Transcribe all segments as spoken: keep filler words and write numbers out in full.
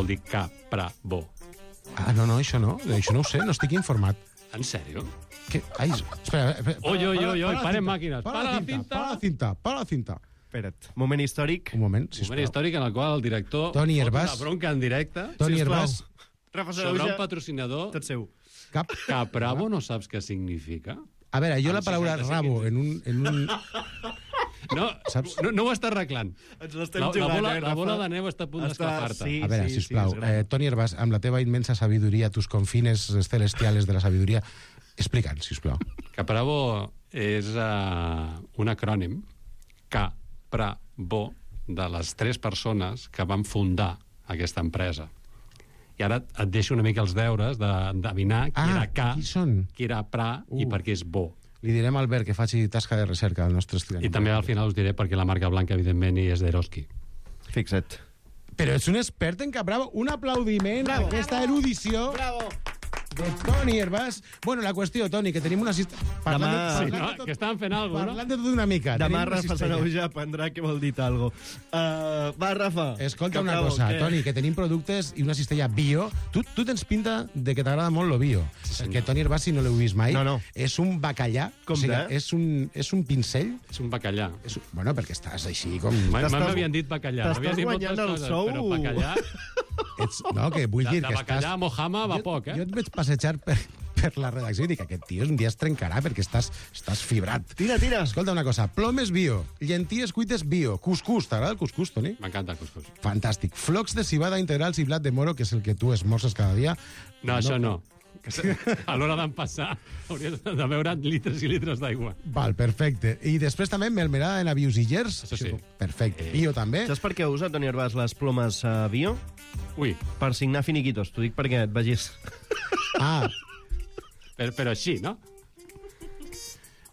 vol dir caprabo. Ah, no, no, això no. Això no ho sé, no estic informat. En sèrio? Què? Ai, espera, espera. Oi, oi, oi, oi, parem la màquines. Para la cinta, para la cinta, para la cinta. Espera't, moment històric. Un moment, Un sisplau. moment històric en el qual el director Toni fot Hervàs. una bronca en directe Toni Sisplau. Hervàs, Rafa sobre un Sanahuja, patrocinador. tot seu. cap... Caprabo no saps què significa? A veure, jo la Amb paraula seixanta-cinc rabo en un... En un... No, Saps? no, no ho està arreglant. Ens l'estem La, la, jugant, bola, eh, la Rafa? bola de neu està a punt Està- d'esclafar-te. sí. A veure, sisplau, és gran. eh, Toni Hervàs, amb la teva immensa sabiduria, tus confines celestiales de la sabiduria, explica'ns, sisplau. Caprabo és uh, un acrònim, Caprabo, de les tres persones que van fundar aquesta empresa. I ara et deixo una mica els deures d'endevinar qui Ah, era Ca, qui són? qui era Pra Uh. i per què és bo. Li direm a Albert que faci tasca de recerca al nostre estudiant. I també al final us diré perquè la marca blanca, evidentment, i és d'Eroski. Fixa't. Però ets un expert en Caprabo. Un aplaudiment Bravo. a aquesta erudició Bravo! de Toni Hervàs. Bueno, la qüestió, Toni, que tenim una cistella... Parlant, Demà- de, Sí, parlant, no? de tot, Que estaven fent alguna cosa, no? parlant de tot una mica. Demà tenim una Rafa cistella. Sanahuja aprendrà què vol dir talgo. Uh, va, Rafa. Escolta una Caprabo, cosa, què? Toni, que tenim productes i una cistella bio. Tu, tu tens pinta de que t'agrada molt lo bio. Sí, Perquè Toni Hervàs, si no l'heu vist mai, No, no. és un bacallà. Com o sigui, de? és un, és un pincell. És un bacallà. És, un- bueno, perquè estàs així com... Mai T'estàs- m'havien dit bacallà. t'estàs M'havien dit moltes guanyant el coses, sou. però bacallà... Ets, no, que vull De, dir de que bacallà estàs... a Mojama va poc, eh? Jo et veig passejar per, per la redacció i dic, aquest tio un dia es trencarà perquè estàs, estàs fibrat. Tira, tira. Escolta una cosa, plomes bio, llenties cuites bio, cuscús, t'agrada el cuscús, Toni? M'encanta el cuscús. Fantàstic. Flocs de cibada integrals i blat de moro, que és el que tu esmorces cada dia. No, això no. Que se- A l'hora d'empassar hauries de beure litres i litres d'aigua. Val, perfecte. I després també melmerada de navius i gers. Això sí. Perfecte. Bio també. Saps per què usa Toni Hervàs les plomes uh, bio? Ui, Per signar finiquitos. T'ho dic perquè et vegis. Ah, però, però així, no?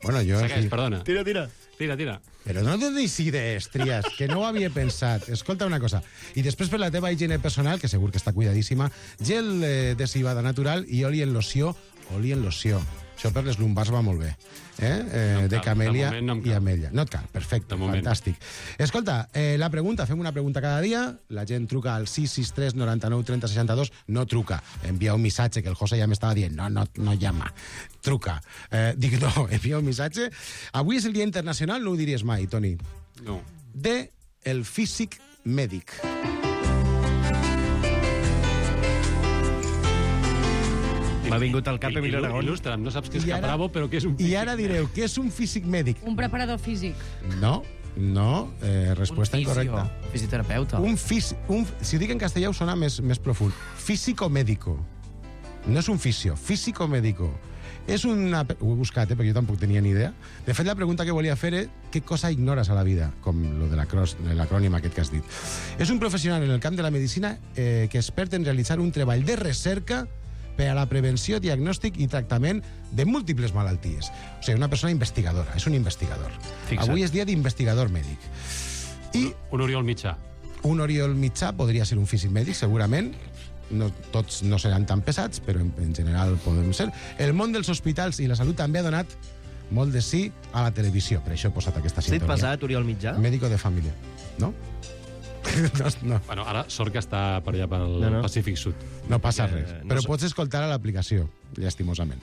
bueno, jo... Segueix, sí. perdona. Tira, tira. Tira, tira. Però no donis idees, Trias, que no ho havia pensat. Escolta una cosa. I després per la teva higiene personal, que segur que està cuidadíssima, gel eh, de cibada natural i oli en loció. Oli en loció. Això per les lumbars va molt bé. Eh? eh No em de cal, camèlia de moment no em i cal. ametlla. No et cal, perfecte, De moment. fantàstic. Escolta, eh, la pregunta, fem una pregunta cada dia, la gent truca al sis sis tres noranta-nou trenta seixanta dos, no truca, envia un missatge, que el José ja m'estava dient, no, no, no llama, truca. Eh, dic, no, envia un missatge. Avui és el Dia Internacional, no ho diries mai, Toni, No. de el físic mèdic. M'ha vingut al cap Emilio Il- Aragón. Il·lustra'm, no saps què és I ara- Caprabo, però què és un I físic. ara direu, què és un físic mèdic? Un preparador físic. No, no, eh, resposta incorrecta. Fisioterapeuta. Un físic, un, si ho dic en castellà ho sona més, més profund. Físico-médico. No és un fisio, físico-médico. És una... Ho he buscat, eh, perquè jo tampoc tenia ni idea. De fet, la pregunta que volia fer és què cosa ignores a la vida, com lo de l'acròs- l'acrònim aquest que has dit. És un professional en el camp de la medicina eh, que és expert en realitzar un treball de recerca per a la prevenció, diagnòstic i tractament de múltiples malalties. O sigui, una persona investigadora, és un investigador. Fixa't. Avui és dia d'investigador mèdic. I Un Oriol Mitjà. un Oriol Mitjà podria ser un físic mèdic, segurament. No, tots no seran tan pesats, però en, en general podem ser. El món dels hospitals i la salut també ha donat molt de sí a la televisió. Per això he posat aquesta Has dit sintonia. pesat, Oriol Mitjà? Médico de família. No? no, no, Bueno, ara sort que està per allà pel No, no. Pacífic Sud. no passa Eh, res. no Però sé. pots escoltar a l'aplicació, llastimosament.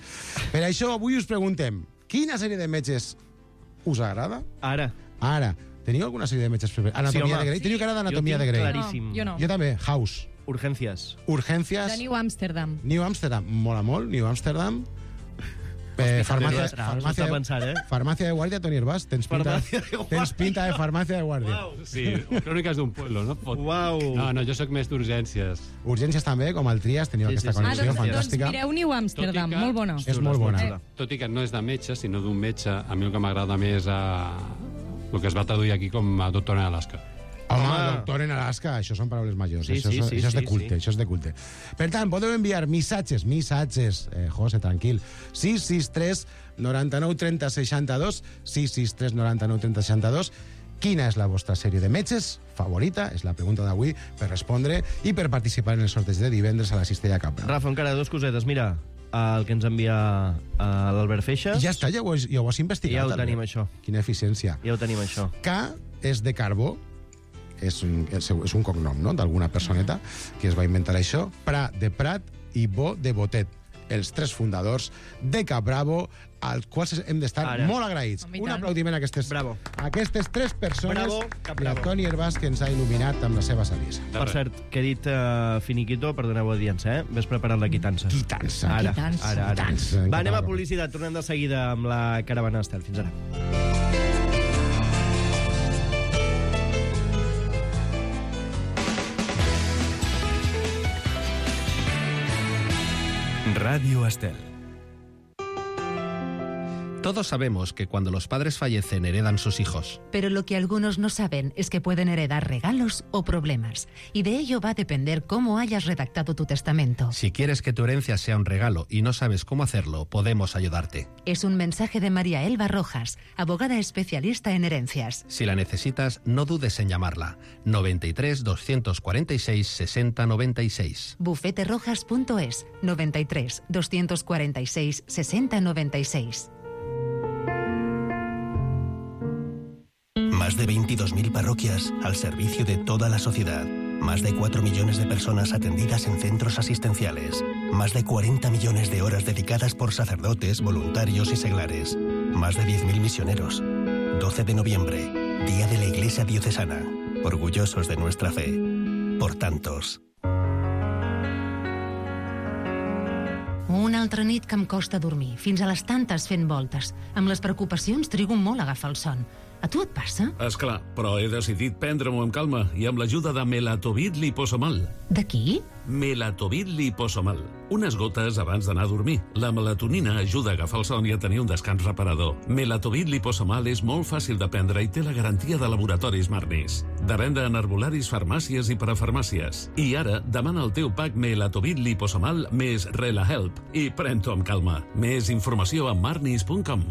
Per això avui us preguntem, quina sèrie de metges us agrada? Ara. Ara, teniu alguna sèrie de metges preferida? Anatomia home. de Grey? Teniu cara Jo d'Anatomia de tinc Grey? claríssim. No, jo no. Jo també, House. Urgències. Urgències. De New Amsterdam. New Amsterdam, mola molt, New Amsterdam. Eh, farmàcia, Hospitalitat, farmàcia, s'ho està pensant, eh? farmàcia de guàrdia, Toni Hervàs. Tens pinta, Farmàcia de guàrdia. tens pinta de farmàcia de guàrdia. Uau. Sí, cròniques d'un pueblo, no? Fot. Uau. No, no, jo sóc més d'urgències. Urgències també, com el Trias, teniu Sí, aquesta sí, sí. Ah, connexió doncs, doncs fantàstica. mireu New Amsterdam, Tot i que- molt bona. És molt bona. Xula. Tot i que no és de metge, sinó d'un metge, a mi el que m'agrada més a... el que es va traduir aquí com a doctor en Alaska. Home, Home. doctor en Alaska, això són paraules majors. Sí, això, sí, és- sí, això és de sí, culte, sí. això és de culte. Per tant, podeu enviar missatges, missatges, eh, José, tranquil, sis sis tres noranta-nou trenta seixanta dos, sis sis tres noranta-nou trenta seixanta dos. Quina és la vostra sèrie de metges favorita? És la pregunta d'avui per respondre i per participar en el sorteig de divendres a la Cistella Capra. Rafa, encara dos cosetes. Mira, el que ens envia eh, l'Albert Feixas. Ja està, ja ho, has- ja ho has investigat. Ja ho Albert. tenim, això. Quina eficiència. Ja ho tenim, això. K és de carbó, és un, és un cognom, no?, d'alguna personeta que es va inventar això. Prat de Prat i Bo de Botet, els tres fundadors de Cap Bravo, als quals hem d'estar Ara. molt agraïts. Home, i Un tant. aplaudiment a aquestes, Bravo. a aquestes tres persones. Bravo, Cap i a Bravo. Toni Hervàs, que ens ha il·luminat amb la seva saviesa. Per cert, que he dit uh, finiquito, perdoneu audiència, eh? Ves preparat la quitança. Quitança. Ara, Quitança. ara, ara. Quitança, en Va, anem a català. publicitat. Tornem de seguida amb la caravana Estel. Fins ara. Radio Estel. Todos sabemos que cuando los padres fallecen heredan sus hijos. Pero lo que algunos no saben es que pueden heredar regalos o problemas. Y de ello va a depender cómo hayas redactado tu testamento. Si quieres que tu herencia sea un regalo y no sabes cómo hacerlo, podemos ayudarte. Es un mensaje de María Elba Rojas, abogada especialista en herencias. Si la necesitas, no dudes en llamarla. noventa y tres, doscientos cuarenta y seis, sesenta noventa y seis. bufete rojas punto es, noventa y tres, doscientos cuarenta y seis, sesenta noventa y seis. Más de veintidós mil parroquias al servicio de toda la sociedad. Más de cuatro millones de personas atendidas en centros asistenciales. Más de cuarenta millones de horas dedicadas por sacerdotes, voluntarios y seglares. Más de diez mil misioneros. doce de noviembre, Día de la Iglesia Diocesana. Orgullosos de nuestra fe. Por tantos. Una altra nit que em costa dormir, fins a les tantes fent voltes. Amb les preocupacions trigo molt a agafar el son. A tu et passa? Esclar, però he decidit prendre-m'ho amb calma i amb l'ajuda de Melatovit Liposomal. De qui? Melatovit Liposomal. Unes gotes abans d'anar a dormir. La melatonina ajuda a agafar el son i a tenir un descans reparador. Melatovit Liposomal és molt fàcil de prendre i té la garantia de laboratoris Marnis. De venda en herbolaris, farmàcies i parafarmàcies. I ara, demana el teu pack Melatovit Liposomal més RelaHelp i pren-t'ho amb calma. Més informació a marnis punt com.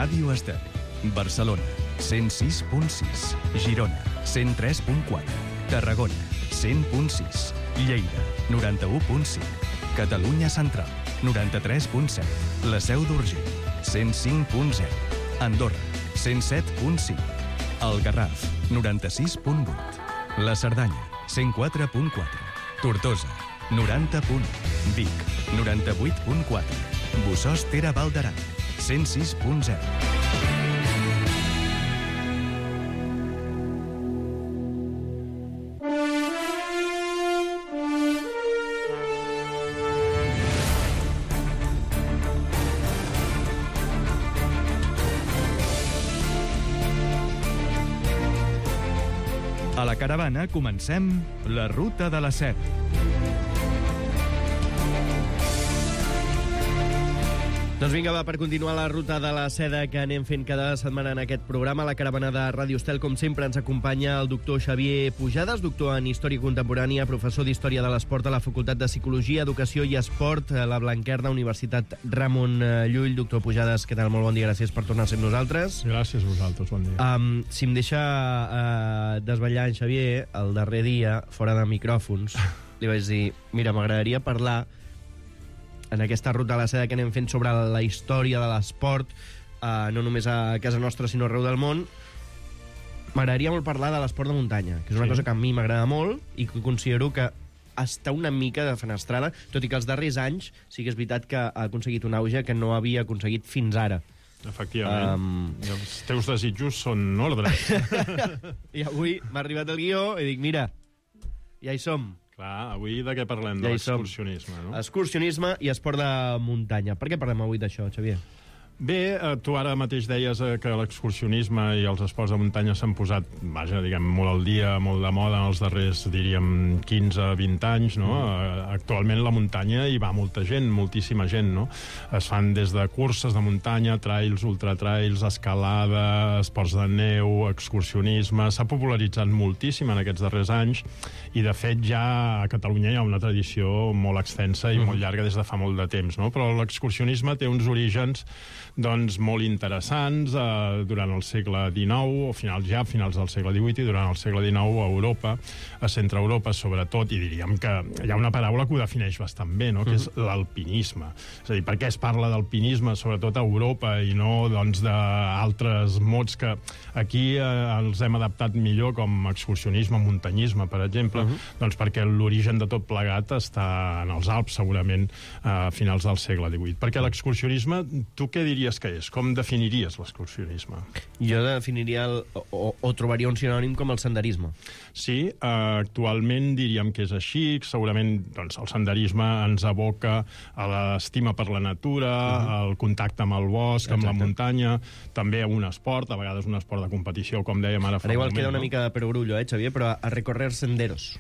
Ràdio Estel. Barcelona, cent sis punt sis. Girona, cent tres punt quatre. Tarragona, cent punt sis. Lleida, noranta-u punt cinc. Catalunya Central, noranta-tres punt set. La Seu d'Urgell, cent cinc punt zero. Andorra, cent set punt cinc. El Garraf, noranta-sis punt vuit. La Cerdanya, cent quatre punt quatre. Tortosa, noranta punt u. Vic, noranta-vuit punt quatre. Bossòst Tere Val d'Aran, cent sis punt zero. A la caravana comencem la ruta de la set. Doncs vinga, va, per continuar la ruta de la seda que anem fent cada setmana en aquest programa, la caravana de Ràdio Estel, com sempre, ens acompanya el doctor Xavier Pujades, doctor en Història Contemporània, professor d'Història de l'Esport a la Facultat de Psicologia, Educació i Esport, a la Blanquerna, Universitat Ramon Llull. Doctor Pujades, què tal? Molt bon dia, gràcies per tornar a ser amb nosaltres. Gràcies a vosaltres, bon dia. Um, si em deixa uh, desvetllar en Xavier, el darrer dia, fora de micròfons, li vaig dir, mira, m'agradaria parlar en aquesta ruta de la seda que anem fent sobre la història de l'esport, eh, no només a casa nostra, sinó arreu del món. M'agradaria molt parlar de l'esport de muntanya, que és una Sí. cosa que a mi m'agrada molt i que considero que està una mica defenestrada, tot i que els darrers anys sí que és veritat que ha aconseguit un auge que no havia aconseguit fins ara. Efectivament. Um... Els teus desitjos són ordres. I avui m'ha arribat el guió i dic, mira, ja hi som. Clar, avui de què parlem? Ja De hi som. l'excursionisme, no? Excursionisme i esport de muntanya. Per què parlem avui d'això, Xavier? Bé, eh, tu ara mateix deies eh, que l'excursionisme i els esports de muntanya s'han posat, vaja, diguem, molt al dia, molt de moda en els darrers, diríem, quinze a vint anys, no? Mm. Actualment la muntanya hi va molta gent, moltíssima gent, no? Es fan des de curses de muntanya, trails, ultratrails, escalada, esports de neu, excursionisme. S'ha popularitzat moltíssim en aquests darrers anys i, de fet, ja a Catalunya hi ha una tradició molt extensa i mm. molt llarga des de fa molt de temps, no? Però l'excursionisme té uns orígens doncs, molt interessants eh, durant el segle dinou, o finals ja finals del segle divuit, i durant el segle dinou a Europa, a Centre Europa sobretot, i diríem que hi ha una paraula que ho defineix bastant bé, no? Que és l'alpinisme. És a dir, per què es parla d'alpinisme sobretot a Europa i no doncs, d'altres mots que aquí eh, els hem adaptat millor, com excursionisme, muntanyisme, per exemple, uh -huh. doncs perquè l'origen de tot plegat està en els Alps, segurament, a finals del segle divuit. Perquè l'excursionisme, tu què diries que és? Com definiries l'excursionisme? Jo definiria, el, o, o trobaria un sinònim com el senderisme. Sí, eh, actualment diríem que és així. Segurament doncs, el senderisme ens aboca a l'estima per la natura, uh-huh. al contacte amb el bosc, Exacte. amb la muntanya, també a un esport, a vegades un esport de competició, com dèiem ara fa Ara igual un moment. queda una no? mica de perogrullo, eh, Xavier, però a recorrer senderos.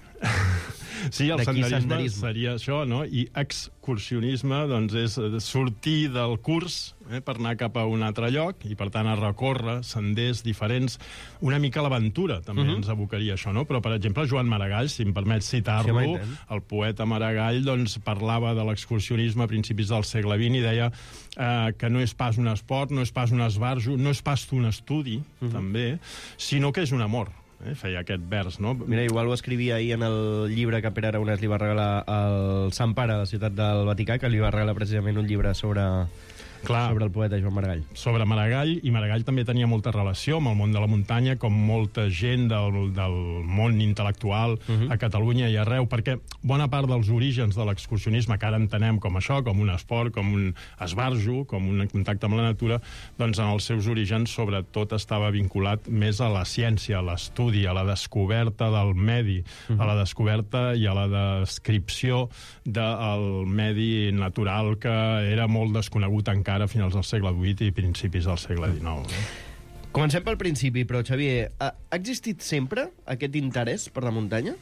Sí, el senderisme, senderisme seria això, no? I excursionisme, doncs, és sortir del curs eh, per anar cap a un altre lloc i, per tant, a recórrer senders diferents. Una mica l'aventura, també uh-huh. ens abocaria això, no? Però, per exemple, Joan Maragall, si em permet citar-lo, sí, el poeta Maragall, doncs, parlava de l'excursionisme a principis del segle vint i deia eh, que no és pas un esport, no és pas un esbarjo, no és pas un estudi, uh-huh. també, sinó que és un amor. Eh, feia aquest vers, no? Mira, igual ho escrivia ahir en el llibre que Pere Aragonès li va regalar al Sant Pare, a la ciutat del Vaticà, que li va regalar precisament un llibre sobre... Clar, sobre el poeta Joan Maragall. Sobre Maragall, i Maragall també tenia molta relació amb el món de la muntanya, com molta gent del, del món intel·lectual uh-huh. a Catalunya i arreu, perquè bona part dels orígens de l'excursionisme, que ara entenem com això, com un esport, com un esbarjo, com un contacte amb la natura, doncs en els seus orígens sobretot estava vinculat més a la ciència, a l'estudi, a la descoberta del medi, uh-huh. a la descoberta i a la descripció del medi natural, que era molt desconegut encara a finals del segle divuit i principis del segle dinou. No? Comencem pel principi, però, Xavier, ha, ha existit sempre aquest interès per la muntanya?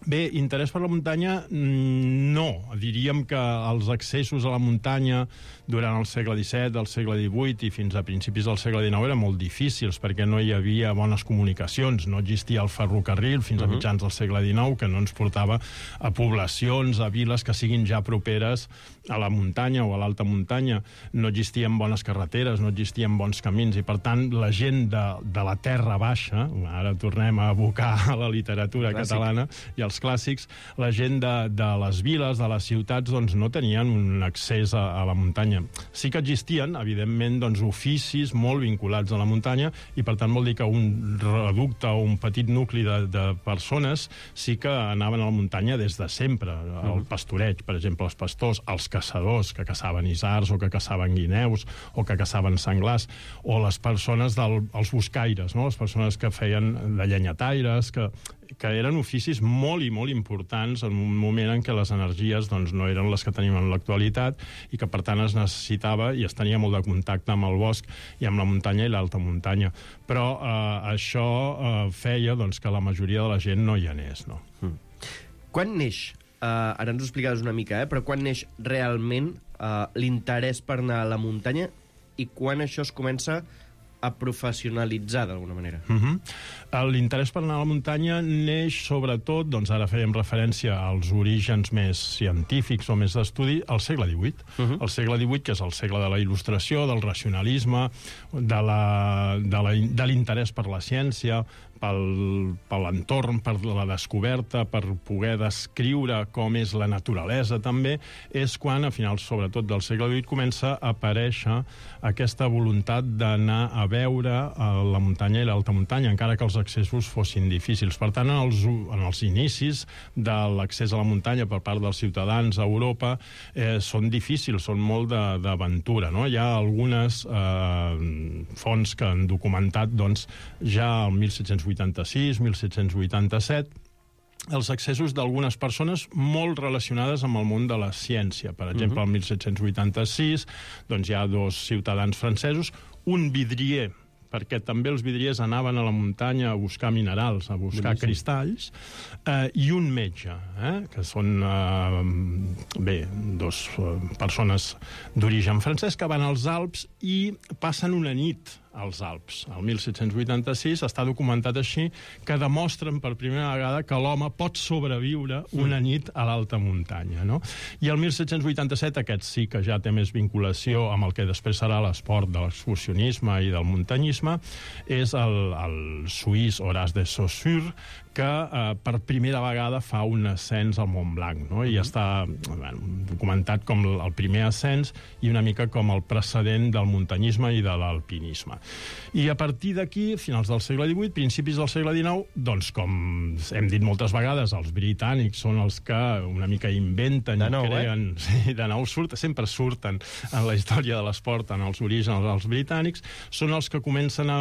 Bé, interès per la muntanya, no. Diríem que els accessos a la muntanya durant el segle disset, el segle divuit i fins a principis del segle dinou eren molt difícils perquè no hi havia bones comunicacions, no existia el ferrocarril fins a mitjans del segle dinou, que no ens portava a poblacions, a viles que siguin ja properes a la muntanya o a l'alta muntanya. No existien bones carreteres, no existien bons camins, i per tant la gent de, de la terra baixa, ara tornem a abocar a la literatura Clàssic. catalana i els clàssics, la gent de, de les viles, de les ciutats, doncs no tenien un accés a, a la muntanya. Sí que existien, evidentment, doncs, oficis molt vinculats a la muntanya, i per tant vol dir que un reducte o un petit nucli de, de persones sí que anaven a la muntanya des de sempre. El pastoreig, per exemple, els pastors, els caçadors que caçaven isards o que caçaven guineus o que caçaven senglars, o les persones dels del, buscaires, no? Les persones que feien de llenyataires, que que eren oficis molt i molt importants en un moment en què les energies doncs, no eren les que tenim en l'actualitat, i que per tant es necessitava i es tenia molt de contacte amb el bosc i amb la muntanya i l'alta muntanya. Però eh, això eh, feia doncs, que la majoria de la gent no hi anés. No? Mm. Quan neix, uh, ara ens ho explicaves una mica, eh, però quan neix realment uh, l'interès per anar a la muntanya i quan això es comença a professionalitzar d'alguna manera? Uh-huh. L'interès per anar a la muntanya neix sobretot, doncs ara fèiem referència als orígens més científics o més d'estudi, al segle divuit. Uh-huh. El segle divuit, que és el segle de la il·lustració, del racionalisme, de la, de la, de l'interès per la ciència, pel, per l'entorn, per la descoberta, per poder descriure com és la naturalesa també, és quan, a finals sobretot del segle divuit, comença a aparèixer aquesta voluntat d'anar a veure la muntanya i l'alta muntanya, encara que els accessos fossin difícils. Per tant, en els, en els inicis de l'accés a la muntanya per part dels ciutadans a Europa eh, són difícils, són molt d'aventura. No? Hi ha algunes eh, fonts que han documentat doncs, ja el mil set-cents vuitanta-sis, mil set-cents vuitanta-set, els accessos d'algunes persones molt relacionades amb el món de la ciència. Per exemple, el mil set-cents vuitanta-sis doncs hi ha dos ciutadans francesos, un vidrier, perquè també els vidriers anaven a la muntanya a buscar minerals, a buscar Boníssim. cristalls, eh, i un metge, eh, que són eh, bé, dos eh, persones d'origen francès que van als Alps i passen una nit als Alps. El mil set-cents vuitanta-sis està documentat així, que demostren per primera vegada que l'home pot sobreviure una nit a l'alta muntanya, no? I el mil set-cents vuitanta-set, aquest sí que ja té més vinculació amb el que després serà l'esport de l'excursionisme i del muntanyisme, és el, el suís Horace de Saussure, que eh, per primera vegada fa un ascens al Mont Blanc, no? I està bueno, documentat com el primer ascens i una mica com el precedent del muntanyisme i de l'alpinisme. I a partir d'aquí, finals del segle divuit, principis del segle dinou, doncs com hem dit moltes vegades, els britànics són els que una mica inventen de nou, i creen... Eh? Sí, de nou surten, sempre surten en la història de l'esport, en els orígens dels britànics, són els que comencen a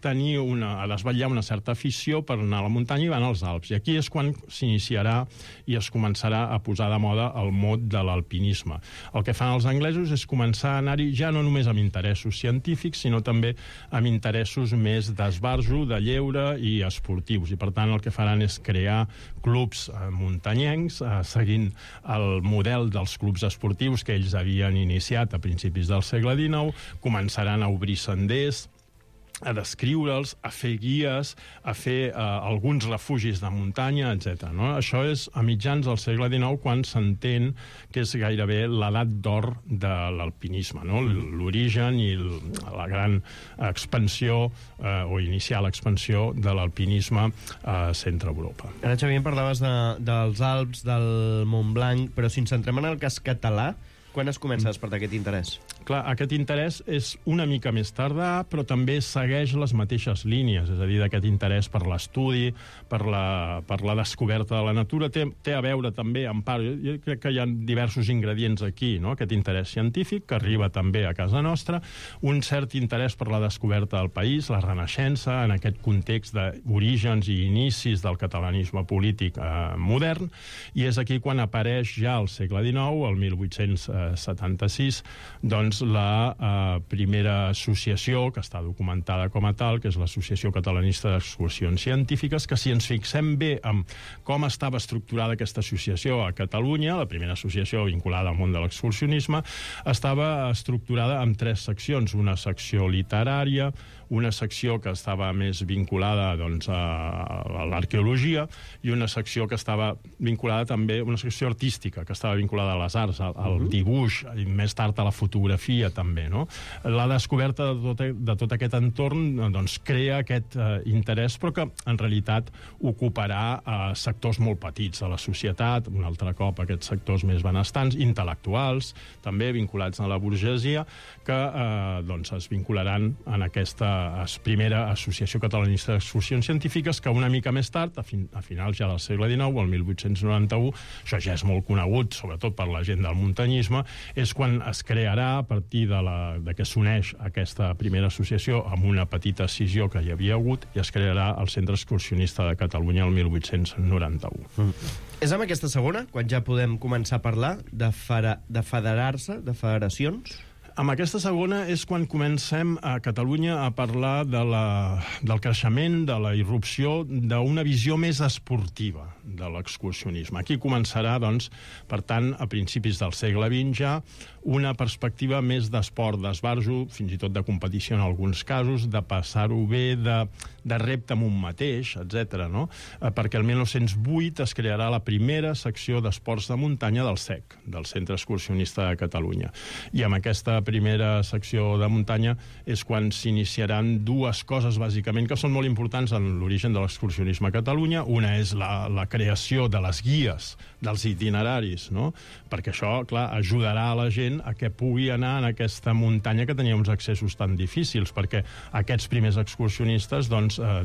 tenir una, a desvetllar una certa afició per anar a la muntanya i van als Alps. I aquí és quan s'iniciarà i es començarà a posar de moda el mot de l'alpinisme. El que fan els anglesos és començar a anar-hi ja no només amb interessos científics, sinó també amb interessos més d'esbarjo, de lleure i esportius. I, per tant, el que faran és crear clubs eh, muntanyencs, eh, seguint el model dels clubs esportius que ells havien iniciat a principis del segle dinou, començaran a obrir senders, a descriure'ls, a fer guies, a fer eh, alguns refugis de muntanya, etcètera. No? Això és a mitjans del segle dinou, quan s'entén que és gairebé l'edat d'or de l'alpinisme, no? L'origen i la gran expansió eh, o inicial expansió de l'alpinisme a centre-Europa. Ara, Xavier, parlaves de, dels Alps, del Mont Blanc, però si ens centrem en el cas català, quan es comença a despertar aquest interès? Clar, aquest interès és una mica més tardà, però també segueix les mateixes línies, és a dir, d'aquest interès per l'estudi, per la, per la descoberta de la natura, té, té a veure també, en part, jo, jo crec que hi ha diversos ingredients aquí, no? Aquest interès científic, que arriba també a casa nostra, un cert interès per la descoberta del país, la Renaixença, en aquest context d'orígens i inicis del catalanisme polític eh, modern, i és aquí quan apareix ja al segle dinou, el mil vuit-cents setanta-sis, doncs la eh, primera associació, que està documentada com a tal, que és l'Associació Catalanista d'Excursions Científiques, que si ens fixem bé en com estava estructurada aquesta associació a Catalunya, la primera associació vinculada al món de l'excursionisme, estava estructurada en tres seccions, una secció literària, una secció que estava més vinculada doncs, a, a l'arqueologia i una secció que estava vinculada també, una secció artística, que estava vinculada a les arts, al, al dibuix, i més tard a la fotografia també, no? La descoberta de tot, de tot aquest entorn doncs, crea aquest eh, interès, però que en realitat ocuparà eh, sectors molt petits de la societat, un altre cop aquests sectors més benestants, intel·lectuals, també vinculats a la burgesia, que eh, doncs, es vincularan en aquesta primera Associació Catalanista d'Excursions Científiques, que una mica més tard, a, fin, a finals ja del segle dinou, el mil vuit-cents noranta-u, això ja és molt conegut, sobretot per la gent del muntanyisme, és quan es crearà, a partir de, la, de que s'uneix aquesta primera associació amb una petita escissió que hi havia hagut, i es crearà el Centre Excursionista de Catalunya el mil vuit-cents noranta-u. Mm. És amb aquesta segona, quan ja podem començar a parlar de, fera, de federar-se, de federacions? Amb aquesta segona és quan comencem a Catalunya a parlar de la, del creixement, de la irrupció d'una visió més esportiva de l'excursionisme. Aquí començarà, doncs, per tant, a principis del segle vint ja, una perspectiva més d'esport, d'esbarjo, fins i tot de competició en alguns casos, de passar-ho bé, de, de repte amb un mateix, etcètera. No? Eh, perquè el mil nou-cents vuit es crearà la primera secció d'esports de muntanya del C E C, del Centre Excursionista de Catalunya. I amb aquesta primera secció de muntanya és quan s'iniciaran dues coses, bàsicament, que són molt importants en l'origen de l'excursionisme a Catalunya. Una és la, la creació de les guies, dels itineraris, no? Perquè això, clar, ajudarà a la gent a que pugui anar en aquesta muntanya que tenia uns accessos tan difícils, perquè aquests primers excursionistes doncs, eh,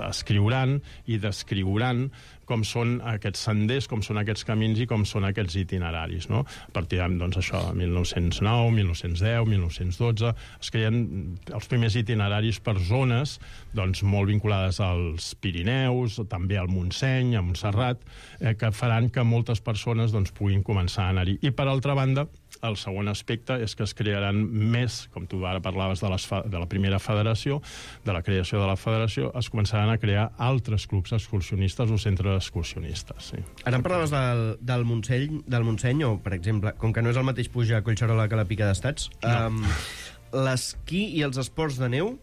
escriuran i descriuran com són aquests senders, com són aquests camins i com són aquests itineraris. No? A partir de doncs, això, mil nou-cents nou, mil nou-cents deu, mil nou-cents dotze, es creen els primers itineraris per zones doncs, molt vinculades als Pirineus, també al Montseny, a Montserrat, eh, que faran que moltes persones doncs, puguin començar a anar-hi. I, per altra banda, el segon aspecte és que es crearan més, com tu ara parlaves de, les de la primera federació, de la creació de la federació, es començaran a crear altres clubs excursionistes o centres excursionistes. Sí. Ara em parlaves del, del, Montseny, del Montseny, o, per exemple, com que no és el mateix pujar a Collserola que la Pica d'Estats, no. um, l'esquí i els esports de neu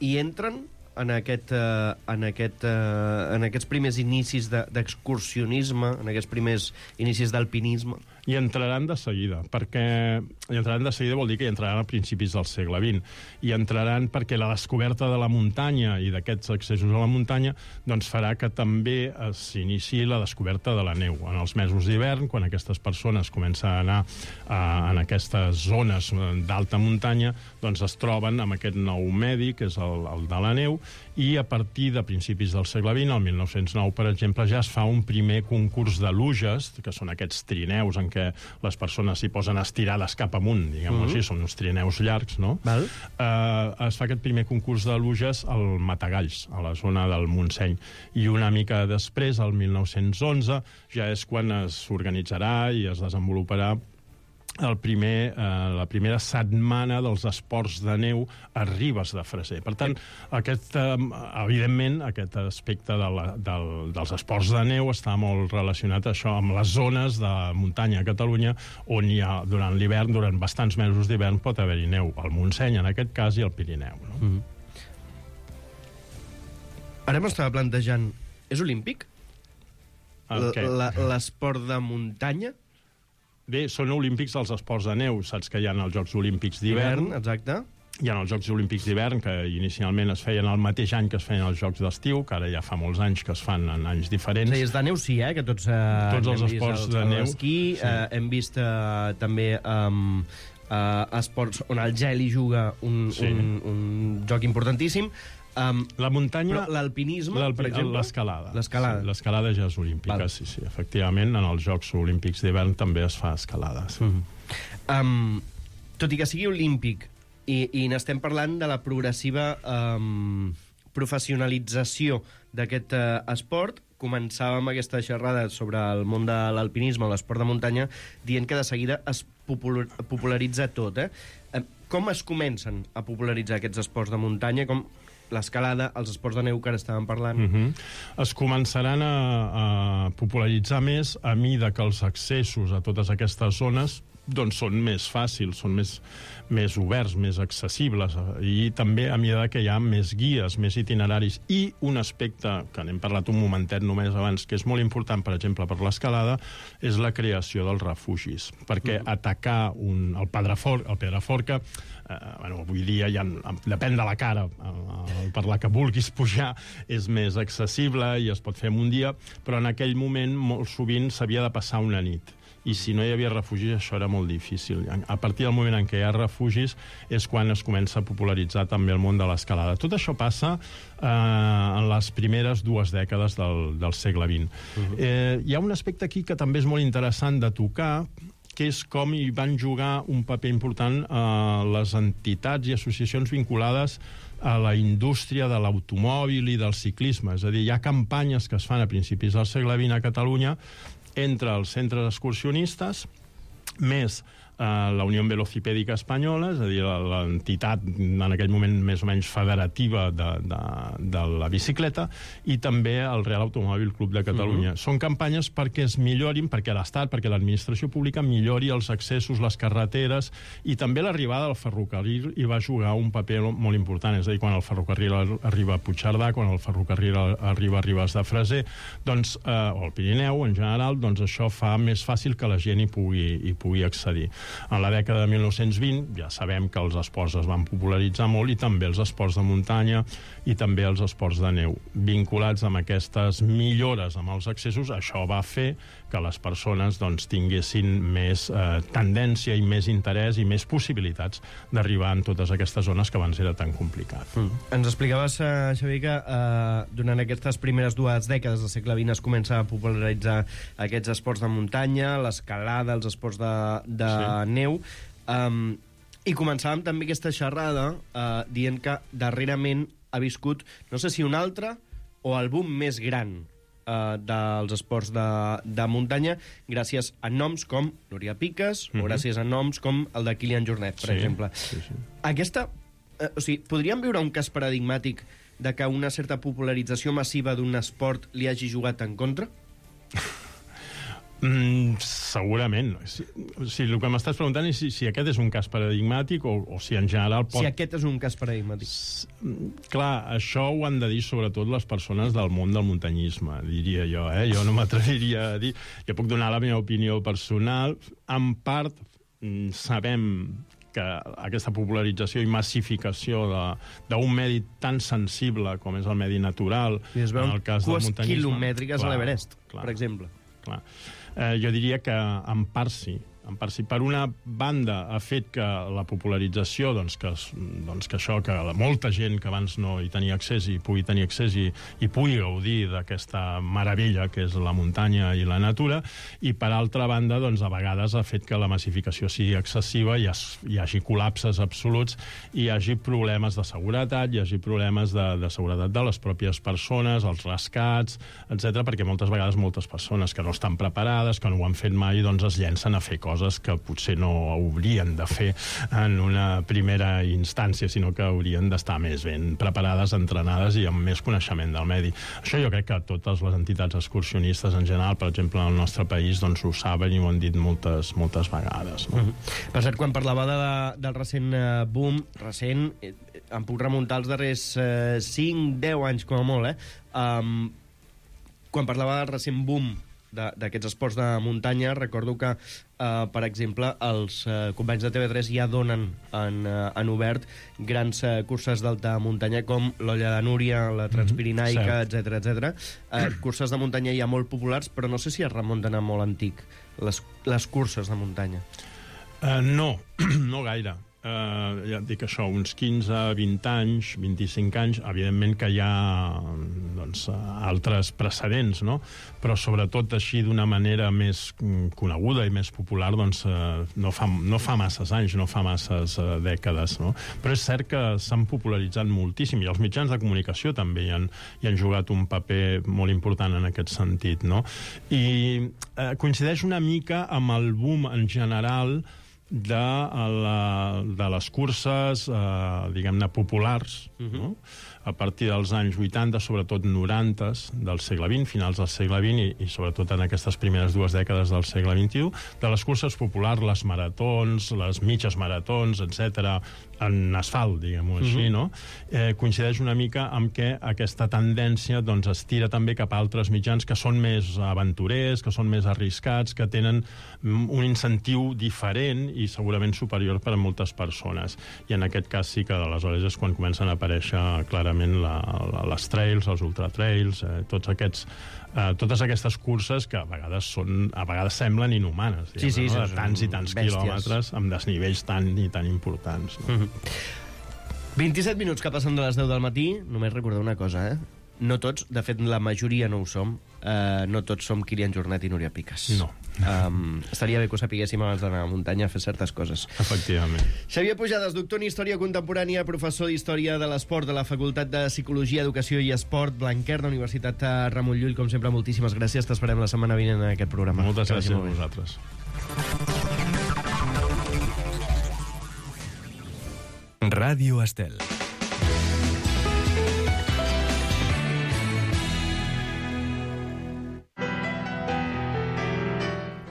i entren en, aquest, uh, en, aquest, uh, en aquests primers inicis d'excursionisme, de, en aquests primers inicis d'alpinisme? I entraran de seguida, perquè i entraran de seguida vol dir que hi entraran a principis del segle vint. I entraran perquè la descoberta de la muntanya i d'aquests accessos a la muntanya doncs farà que també s'iniciï la descoberta de la neu. En els mesos d'hivern, quan aquestes persones comencen a anar a, en aquestes zones d'alta muntanya, doncs es troben amb aquest nou medi, que és el, el de la neu, i a partir de principis del segle vint, el mil nou-cents nou, per exemple, ja es fa un primer concurs de luges, que són aquests trineus en què les persones s'hi posen estirades cap amunt, diguem-ho uh -huh. així, són uns trineus llargs, no? Val. Eh, es fa aquest primer concurs de luges al Matagalls, a la zona del Montseny, i una mica després, el mil nou-cents onze, ja és quan s'organitzarà i es desenvoluparà el primer, eh, la primera setmana dels esports de neu a Ribes de Freser. Per tant, aquest, eh, evidentment, aquest aspecte de la, del, dels esports de neu està molt relacionat això amb les zones de muntanya a Catalunya on hi ha, durant l'hivern, durant bastants mesos d'hivern, pot haver-hi neu. Al Montseny, en aquest cas, i al Pirineu. No? Mm-hmm. Ara m'estava plantejant... És olímpic? L'esport de muntanya? Bé, són olímpics els esports de neu. Saps que hi ha els Jocs Olímpics d'hivern. Exacte. Hi ha els Jocs Olímpics d'hivern, que inicialment es feien el mateix any que es feien els Jocs d'estiu, que ara ja fa molts anys que es fan en anys diferents. Sí, és de neu sí, eh? Que tots, eh, tots els esports el, de neu. L'esquí, sí. eh, hem vist eh, també um, eh, esports on el gel hi juga un, sí. un, un joc importantíssim. Um, la muntanya... L'alpinisme, per exemple? L'escalada. L'escalada. Sí, l'escalada ja és olímpica, Val. sí, sí. Efectivament, en els Jocs Olímpics d'hivern també es fa escalada. Sí. Mm -hmm. um, tot i que sigui olímpic, i, i n'estem parlant de la progressiva um, professionalització d'aquest uh, esport, començàvem aquesta xerrada sobre el món de l'alpinisme, l'esport de muntanya, dient que de seguida es popular, popularitza tot. Eh? Com es comencen a popularitzar aquests esports de muntanya? Com l'escalada, els esports de neu que ara estàvem parlant? Uh -huh. Es començaran a, a popularitzar més a mida que els accessos a totes aquestes zones doncs són més fàcils, són més, més oberts, més accessibles, i també a mesura que hi ha més guies, més itineraris. I un aspecte que n'hem parlat un momentet només abans, que és molt important, per exemple, per l'escalada, és la creació dels refugis. Perquè atacar un, el Pedraforca, el Pedraforca eh, bueno, avui dia ja, depèn de la cara, eh, per la que vulguis pujar, és més accessible i es pot fer en un dia, però en aquell moment molt sovint s'havia de passar una nit. I si no hi havia refugis, això era molt difícil. A partir del moment en què hi ha refugis és quan es comença a popularitzar també el món de l'escalada. Tot això passa eh, en les primeres dues dècades del, del segle vint. Uh-huh. eh, hi ha un aspecte aquí que també és molt interessant de tocar, que és com hi van jugar un paper important eh, les entitats i associacions vinculades a la indústria de l'automòbil i del ciclisme. És a dir, hi ha campanyes que es fan a principis del segle vint a Catalunya entre els centres excursionistes, més eh, la Unió Velocipèdica Espanyola, és a dir, l'entitat en aquell moment més o menys federativa de, de, de la bicicleta, i també el Real Automòbil Club de Catalunya. Uh-huh. Són campanyes perquè es millorin, perquè l'Estat, perquè l'administració pública millori els accessos, les carreteres, i també l'arribada del ferrocarril hi va jugar un paper molt important. És a dir, quan el ferrocarril arriba a Puigcerdà, quan el ferrocarril arriba a Ribes de Freser, doncs, eh, o al Pirineu en general, doncs això fa més fàcil que la gent hi pugui, hi pugui accedir. En la dècada de mil nou-cents vint ja sabem que els esports es van popularitzar molt, i també els esports de muntanya i també els esports de neu. Vinculats amb aquestes millores amb els accessos, això va fer que les persones doncs, tinguessin més eh, tendència i més interès i més possibilitats d'arribar en totes aquestes zones que abans era tan complicat. Mm. Ens explicaves, uh, Xavier, que uh, durant aquestes primeres dues dècades del segle vint es comença a popularitzar aquests esports de muntanya, l'escalada, els esports de, de sí. neu, um, i començàvem també aquesta xerrada uh, dient que darrerament ha viscut, no sé si un altre o el boom més gran uh, dels esports de, de muntanya, gràcies a noms com Núria Piques, mm-hmm. o gràcies a noms com el de Kilian Jornet, per sí, exemple. Sí, sí. Aquesta, uh, o sigui, podríem viure un cas paradigmàtic de que una certa popularització massiva d'un esport li hagi jugat en contra? Mm, segurament. Si, si el que m'estàs preguntant és si, si aquest és un cas paradigmàtic o, o si en general pot... Si aquest és un cas paradigmàtic. S clar, això ho han de dir sobretot les persones del món del muntanyisme, diria jo, eh? Jo no m'atreviria a dir... Jo puc donar la meva opinió personal. En part, mm, sabem que aquesta popularització i massificació d'un medi tan sensible com és el medi natural, en el cas del muntanyisme... quilomètriques a l'Everest, per exemple. Clar. Eh, jo diria que en part sí. En part sí. Per una banda ha fet que la popularització, doncs que, doncs que això, que molta gent que abans no hi tenia accés i pugui tenir accés i, i pugui gaudir d'aquesta meravella que és la muntanya i la natura, i per altra banda, doncs a vegades ha fet que la massificació sigui excessiva i es, hi hagi col·lapses absoluts, i hi hagi problemes de seguretat, hi hagi problemes de, de seguretat de les pròpies persones, els rescats, etcètera, perquè moltes vegades moltes persones que no estan preparades, que no ho han fet mai, doncs es llencen a fer coses que potser no haurien de fer en una primera instància, sinó que haurien d'estar més ben preparades, entrenades i amb més coneixement del medi. Això jo crec que totes les entitats excursionistes en general, per exemple, en el nostre país, doncs ho saben i ho han dit moltes, moltes vegades. No? Mm-hmm. Per cert, quan parlava de la, del recent uh, boom, recent, eh, em puc remuntar als darrers uh, cinc deu anys, com a molt, eh? Um, quan parlava del recent boom d'aquests esports de muntanya, recordo que, eh, per exemple, els eh, companys de T V tres ja donen en, eh, en obert grans eh, curses d'alta muntanya com l'Olla de Núria, la Transpirinaica, mm-hmm, etcètera, etcètera. Eh, curses de muntanya ja molt populars, però no sé si es remunten a molt antic, les, les curses de muntanya. Uh, no, no gaire. Uh, ja et dic això, uns quinze, vint anys, vint-i-cinc anys, evidentment que hi ha doncs, altres precedents, no? Però sobretot així d'una manera més coneguda i més popular, doncs uh, no, fa, no fa masses anys, no fa masses uh, dècades, no? Però és cert que s'han popularitzat moltíssim, i els mitjans de comunicació també hi han, hi han jugat un paper molt important en aquest sentit, no? I uh, coincideix una mica amb el boom en general de, la, de les curses, eh, diguem-ne, populars, uh-huh, no? A partir dels anys vuitanta, sobretot noranta del segle vint, finals del segle vint, i, i sobretot en aquestes primeres dues dècades del segle vint-i-u, de les curses populars, les maratons, les mitges maratons, etcètera, en asfalt, diguem-ho així, uh-huh, no? Eh, coincideix una mica amb que aquesta tendència doncs, es tira també cap a altres mitjans que són més aventurers, que són més arriscats, que tenen un incentiu diferent i segurament superior per a moltes persones. I en aquest cas sí que aleshores és quan comencen a aparèixer clarament la, la, les trails, els ultratrails, eh, tots aquests, eh, totes aquestes curses que a vegades són, a vegades semblen inhumanes, diguem, sí, sí, no? De tants i tants bèsties, quilòmetres amb desnivells tan i tan importants. No? Mm-hmm. vint-i-set minuts que passen de les deu del matí, només recordar una cosa, eh? No tots, de fet la majoria no ho som, uh, no tots som Kilian Jornet i Núria Piques. No. Um, estaria bé que ho sapiguéssim abans d'anar a la muntanya a fer certes coses. Efectivament. Xavier Pujades, doctor en Història Contemporània, professor d'Història de l'Esport de la Facultat de Psicologia, Educació i Esport, Blanquer, de Universitat Ramon Llull. Com sempre, moltíssimes gràcies. T'esperem la setmana vinent en aquest programa. Moltes gràcies a vosaltres. Ràdio Estel.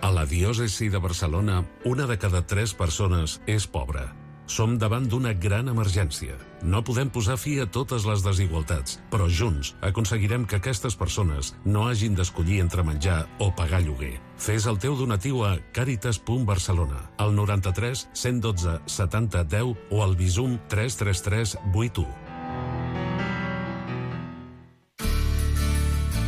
A la diòcesi de Barcelona, una de cada tres persones és pobra. Som davant d'una gran emergència. No podem posar fi a totes les desigualtats, però junts aconseguirem que aquestes persones no hagin d'escollir entre menjar o pagar lloguer. Fes el teu donatiu a caritas punt barcelona, al noranta-tres cent dotze setanta deu o al Bizum tres tres tres vuit u.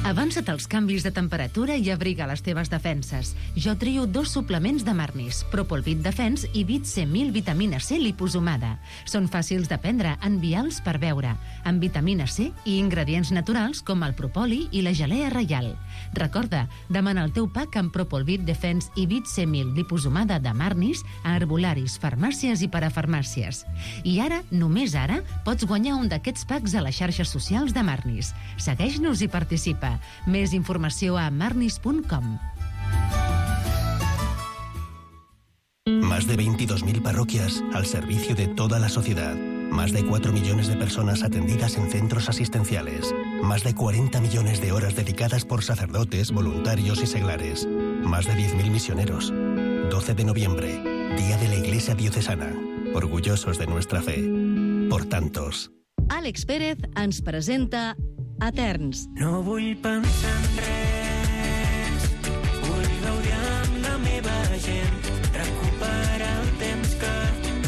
Avança't als canvis de temperatura i abriga les teves defenses. Jo trio dos suplements de Marnis, Propolvit Defens i Vit C mil vitamina C liposomada. Són fàcils de prendre en vials per beure, amb vitamina C i ingredients naturals com el propoli i la gelea reial. Recorda, demana el teu pack amb Propolvit Defens i Vit C mil liposomada de Marnis a herbolaris, farmàcies i parafarmàcies. I ara, només ara, pots guanyar un d'aquests packs a les xarxes socials de Marnis. Segueix-nos i participa. Més informació a marnis punt com. Más de veintidós mil parroquias al servicio de toda la sociedad. Más de cuatro millones de personas atendidas en centros asistenciales. Más de cuarenta millones de horas dedicadas por sacerdotes, voluntarios y seglares. más de diez mil misioneros. doce de noviembre, Día de la Iglesia Diocesana. Orgullosos de nuestra fe. Por tantos. Àlex Pérez ens presenta Eterns. No vull pensar en res, vull gaudir amb la meva gent, recuperar el temps que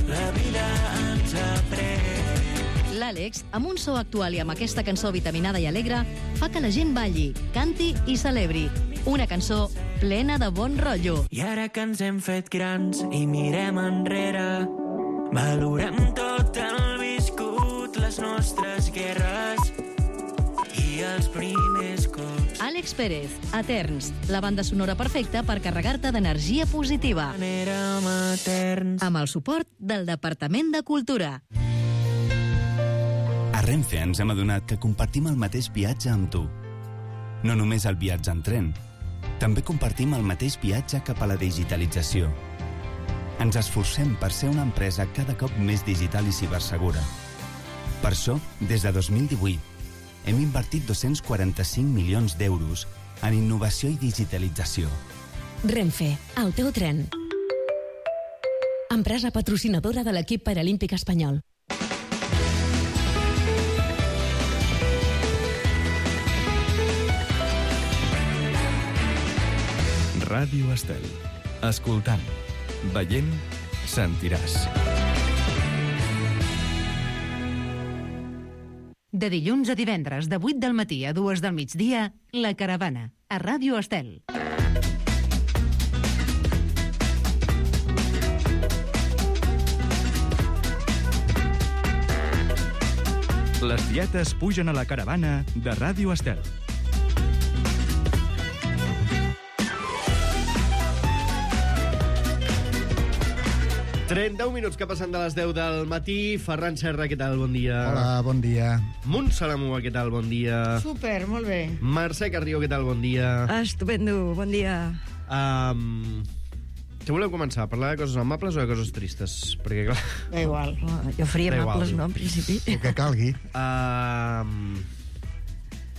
la vida ens ha pres. L'Àlex, amb un so actual i amb aquesta cançó vitaminada i alegre, fa que la gent balli, canti i celebri. Una cançó plena de bon rotllo. I ara que ens hem fet grans i mirem enrere, valorem tot el viscut, les nostres guerres i els primers cops. Àlex Pérez, Eterns, la banda sonora perfecta per carregar-te d'energia positiva. Érem eterns. Amb el suport del Departament de Cultura. A Renfe ens hem adonat que compartim el mateix viatge amb tu. No només el viatge en tren, també compartim el mateix viatge cap a la digitalització. Ens esforcem per ser una empresa cada cop més digital i cibersegura. Per això, des de dos mil divuit, hem invertit dos-cents quaranta-cinc milions d'euros en innovació i digitalització. Renfe, el teu tren. Empresa patrocinadora de l'equip paralímpic espanyol. Ràdio Estel. Escoltant, veient, sentiràs. De dilluns a divendres, de vuit del matí a dues del migdia, La Caravana, a Ràdio Estel. Les dietes pugen a La Caravana de Ràdio Estel. trenta-un minuts que passen de les deu del matí. Ferran Serra, què tal? Bon dia. Hola, bon dia. Montserrat, què tal? Bon dia. Super, molt bé. Mercè Carrió, què tal? Bon dia. Estupendo, bon dia. Um, què voleu començar? Parlar de coses amables o de coses tristes? Perquè, clar... Da igual. Jo faria Da amables, igual. no, en principi. El que calgui. Um,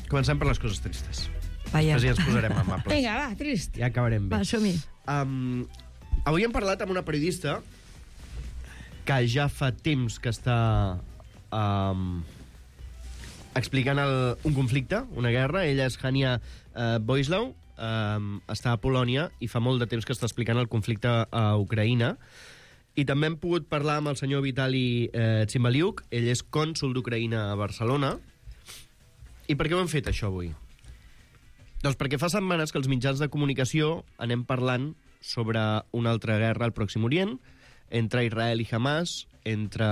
comencem per les coses tristes. Vaja. Així ens posarem amables. Vinga, va, trist. Ja acabarem bé. Va, som-hi. Um, avui hem parlat amb una periodista que ja fa temps que està um, explicant el, un conflicte, una guerra. Ella és Hania uh, Boislau, um, està a Polònia i fa molt de temps que està explicant el conflicte a Ucraïna. I també hem pogut parlar amb el senyor Vitali eh, Tsimbaliuk. Ell és cònsol d'Ucraïna a Barcelona. I per què ho hem fet, això, avui? Doncs perquè fa setmanes que els mitjans de comunicació anem parlant sobre una altra guerra al Pròxim Orient, entre Israel i Hamas, entre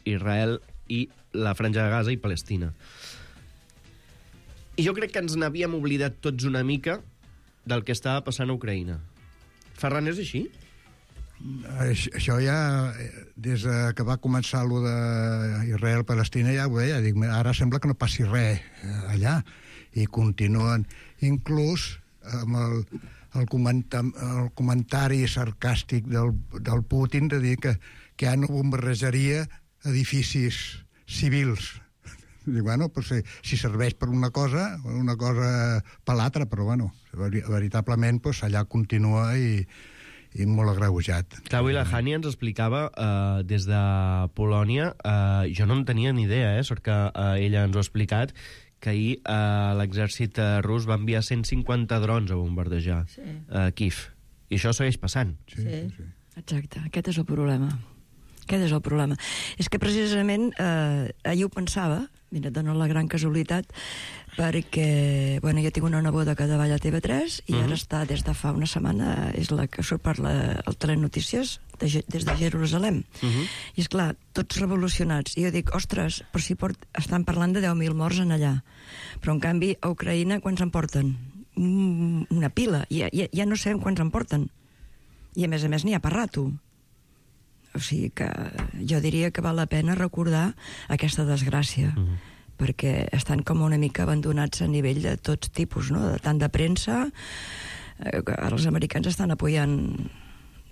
Israel i la Franja de Gaza i Palestina. I jo crec que ens n'havíem oblidat tots una mica del que estava passant a Ucraïna. Ferran, és així? Això ja, des que va començar allò d'Israel-Palestina, ja ho deia, dic, ara sembla que no passi res allà, i continuen, inclús amb el, el, comenta, el comentari sarcàstic del, del Putin de dir que, que ja no bombardejaria edificis civils. Dic, bueno, pues, si, si serveix per una cosa, una cosa per l'altra, però bueno, veritablement pues, allà continua i, i molt agreujat. Clar, avui la Hania ens explicava eh, des de Polònia, eh, jo no en tenia ni idea, eh, sort que eh, ella ens ho ha explicat, que ahir eh, l'exèrcit rus va enviar cent cinquanta drons a bombardejar sí. eh, Kiev. I això segueix passant. Sí, sí. sí. Exacte, aquest és el problema. Aquest és el problema. És que precisament eh, ahir ho pensava, mira, et dono la gran casualitat, perquè, bueno, jo tinc una neboda que treballa a T V tres i uh-huh. ara està des de fa una setmana, és la que surt per la, el Telenotícies de, des de Jerusalem. Uh-huh. I és clar, tots revolucionats. I jo dic, ostres, però si port, estan parlant de deu mil morts en allà. Però en canvi a Ucraïna quants en porten? Mm, una pila. Ja, ja, ja no sabem quants en porten. I a més a més n'hi ha per rato. O sigui que jo diria que val la pena recordar aquesta desgràcia, uh-huh. perquè estan com una mica abandonats a nivell de tots tipus, no? Tant de premsa, eh, ara els americans estan apoyant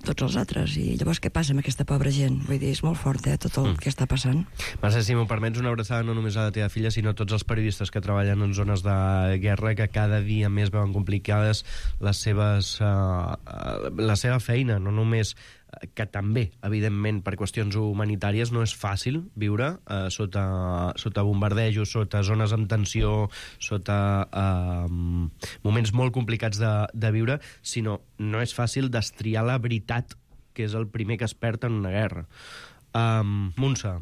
tots els altres. I llavors què passa amb aquesta pobra gent? Vull dir, és molt fort, eh, tot el mm. que està passant. Mercè, si m'ho permets, una abraçada no només a la teva filla, sinó a tots els periodistes que treballen en zones de guerra, que cada dia més veuen complicades les seves, uh, la seva feina, no només que també, evidentment, per qüestions humanitàries no és fàcil viure eh, sota, sota bombardejos, sota zones amb tensió, sota eh, moments molt complicats de, de viure, sinó no és fàcil destriar la veritat, que és el primer que es perd en una guerra. Um, Montse.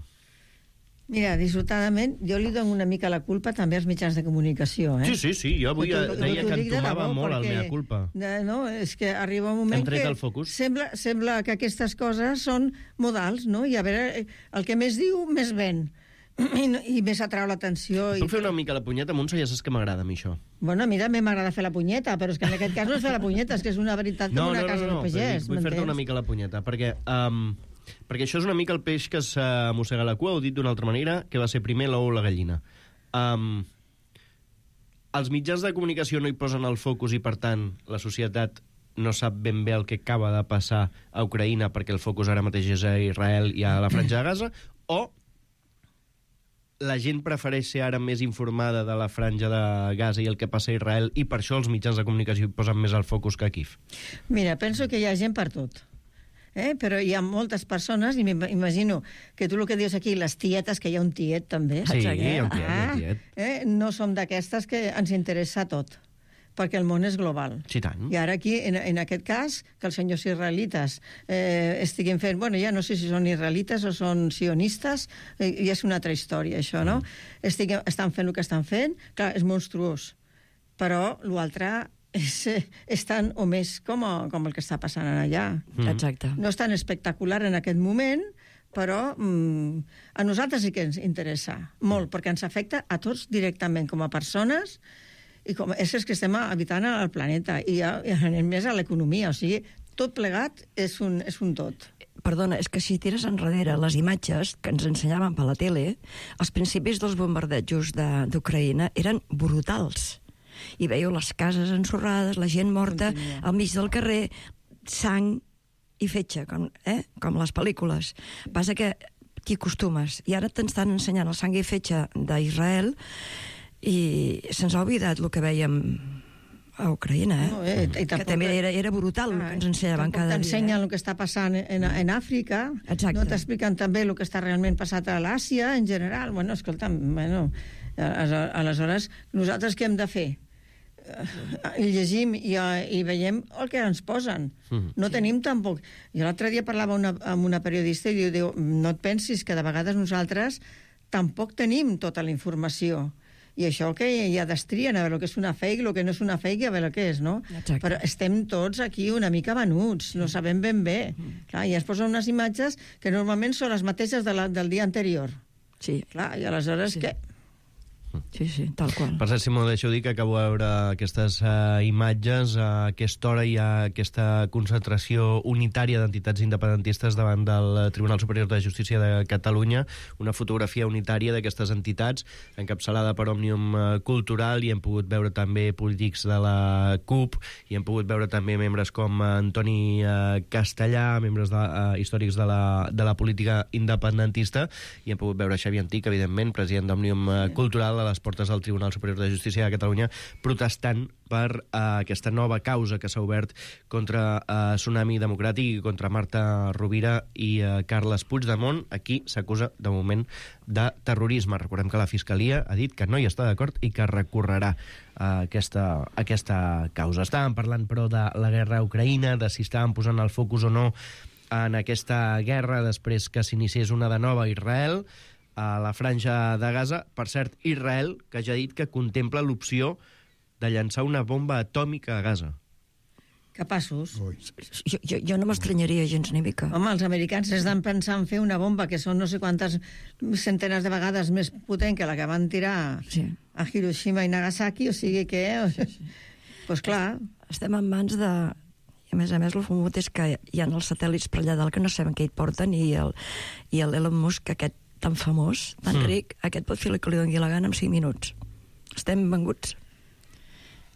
Mira, dissortadament, jo li dono una mica la culpa també als mitjans de comunicació, eh? Sí, sí, sí, jo avui Però, deia que entomava debò, molt el perquè, mea culpa. De, no, és que arriba un moment que el focus. Sembla, sembla que aquestes coses són modals, no? I a veure, el que més diu, més ven. I, i més atrau l'atenció. Puc fer una mica la punyeta, Montse? Ja saps que m'agrada a mi això. Bueno, a mi també m'agrada fer la punyeta, però és que en aquest cas no és fer la punyeta, és que és una veritat no, com una no, casa no, no, del pagès. Vull fer-te una mica la punyeta, perquè... Um, perquè això és una mica el peix que s'amossega la cua, ho dit d'una altra manera, que va ser primer l'ou o la gallina. Um, els mitjans de comunicació no hi posen el focus i, per tant, la societat no sap ben bé el que acaba de passar a Ucraïna perquè el focus ara mateix és a Israel i a la Franja de Gaza, o la gent prefereix ser ara més informada de la Franja de Gaza i el que passa a Israel i per això els mitjans de comunicació hi posen més el focus que a Kíev? Mira, penso que hi ha gent per tot. Eh? Però hi ha moltes persones, i m'imagino que tu el que dius aquí, les tietes, que hi ha un tiet també. Sí, eh? hi ha un tiet, hi ha un tiet. Ah, eh? No som d'aquestes que ens interessa tot, perquè el món és global. Sí, tant. I ara aquí, en, en aquest cas, que els senyors israelites eh, estiguin fent... Bueno, ja no sé si són israelites o són sionistes, eh, i és una altra història, això, no? Mm. Estiguen, estan fent el que estan fent, clar, és monstruós, però l'altre... És, és tant o més com, a, com el que està passant allà. Mm. Exacte. No és tan espectacular en aquest moment, però mm, a nosaltres sí que ens interessa molt, perquè ens afecta a tots directament, com a persones i com a éssers que estem habitant al planeta, i, a, i a més a l'economia, o sigui, tot plegat és un, és un tot. Perdona, és que si tires enrere les imatges que ens ensenyaven per la tele, els principis dels bombardejos d'Ucraïna eren brutals. I veieu les cases ensorrades, la gent morta al mig del carrer, sang i fetge, com, eh? com les pel·lícules. Passa que t'hi acostumes. I ara t'estan ensenyant el sang i fetge d'Israel i se'ns ha oblidat el que vèiem a Ucraïna, eh? No, eh? I que també era, era brutal el que ens ensenyaven cada dia. T'ensenyen eh? el que està passant en, en Àfrica, Exacte. No t'expliquen també el que està realment passat a l'Àsia en general. Bueno, escolta'm, bueno, aleshores, nosaltres què hem de fer? I llegim i, i veiem el que ens posen. Mm. No sí. tenim tampoc... Jo l'altre dia parlava una, amb una periodista i diu, diu, no et pensis que de vegades nosaltres tampoc tenim tota la informació. I això que ja destrien, a veure el que és una fake, el que no és una fake, a veure què és, no? Exacte. Però estem tots aquí una mica venuts, no sabem ben bé. Mm. Clar, i es posen unes imatges que normalment són les mateixes de la, del dia anterior. Sí. Clar, i aleshores sí. què? Sí, sí, tal qual. Per cert, si m'ho deixeu dir, que acabo de veure aquestes uh, imatges a aquesta hora hi ha aquesta concentració unitària d'entitats independentistes davant del Tribunal Superior de Justícia de Catalunya, una fotografia unitària d'aquestes entitats encapçalada per Òmnium Cultural, i hem pogut veure també polítics de la CUP, i hem pogut veure també membres com Antoni uh, Castellà, membres de, uh, històrics de la, de la política independentista, i hem pogut veure Xavier Antic, evidentment, president d'Òmnium uh, Cultural, a les portes del Tribunal Superior de Justícia de Catalunya, protestant per uh, aquesta nova causa que s'ha obert contra uh, Tsunami Democràtic i contra Marta Rovira i uh, Carles Puigdemont. Aquí s'acusa, de moment, de terrorisme. Recordem que la Fiscalia ha dit que no hi està d'acord i que recorrerà uh, aquesta, aquesta causa. Estàvem parlant, però, de la guerra a Ucraïna, de si estàvem posant el focus o no en aquesta guerra després que s'iniciés una de nova a Israel, a la Franja de Gaza. Per cert, Israel, que ja ha dit que contempla l'opció de llançar una bomba atòmica a Gaza. Capaços. Jo, jo, jo no m'estranyaria gens ni mica. Home, els americans estan pensant fer una bomba que són no sé quantes centenes de vegades més potent que la que van tirar sí. a Hiroshima i Nagasaki, o sigui que... Doncs pues clar. Estem en mans de... I a més a més, el famut és que hi ha els satèl·lits per allà dalt que no sabem què hi porten, i el, i el Elon Musk, aquest tan famós, tan mm. ric, aquest pot fer el que li doni la gana en cinc minuts. Estem venguts.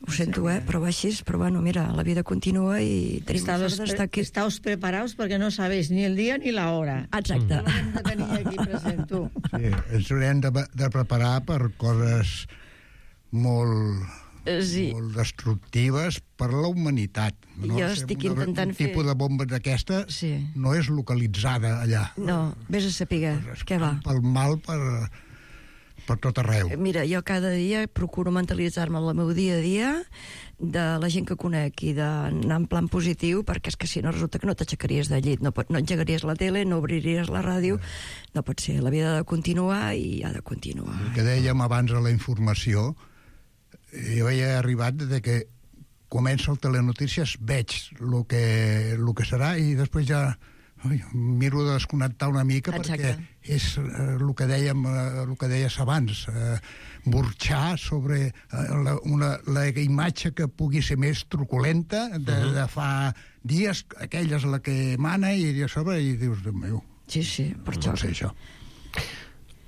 Ho sento, eh? Però va així, però bueno, mira, la vida continua i tenim la Estamos, sort d'estar aquí. Estamos preparados perquè no sabéis ni el dia ni la hora. Exacte. No l'hem de tenir aquí present, tu. Sí, ens haurem de, de preparar per coses molt, sí. molt destructives per la humanitat. No? Jo estic una, intentant un fer... Un tipus de bomba d'aquesta sí. no és localitzada allà. No, vés a saber què va. Pel mal per... per tot arreu. Mira, jo cada dia procuro mentalitzar-me en el meu dia a dia de la gent que conec i d'anar en plan positiu, perquè és que si no resulta que no t'aixecaries de llit, no, pot, no engegaries la tele, no obriries la ràdio, no pot ser, la vida ha de continuar i ha de continuar. El que dèiem abans a la informació, jo he arribat de que comença el Telenotícies, veig el que, el que serà i després ja ui, miro de desconnectar una mica. Exacte. Perquè és eh, el que dèiem, eh, el que deies abans, eh, burxar sobre eh, la, una, la imatge que pugui ser més truculenta de, uh-huh. de fa dies, aquella és la que mana i a sobre i dius, Déu meu, sí, sí, per no sé això.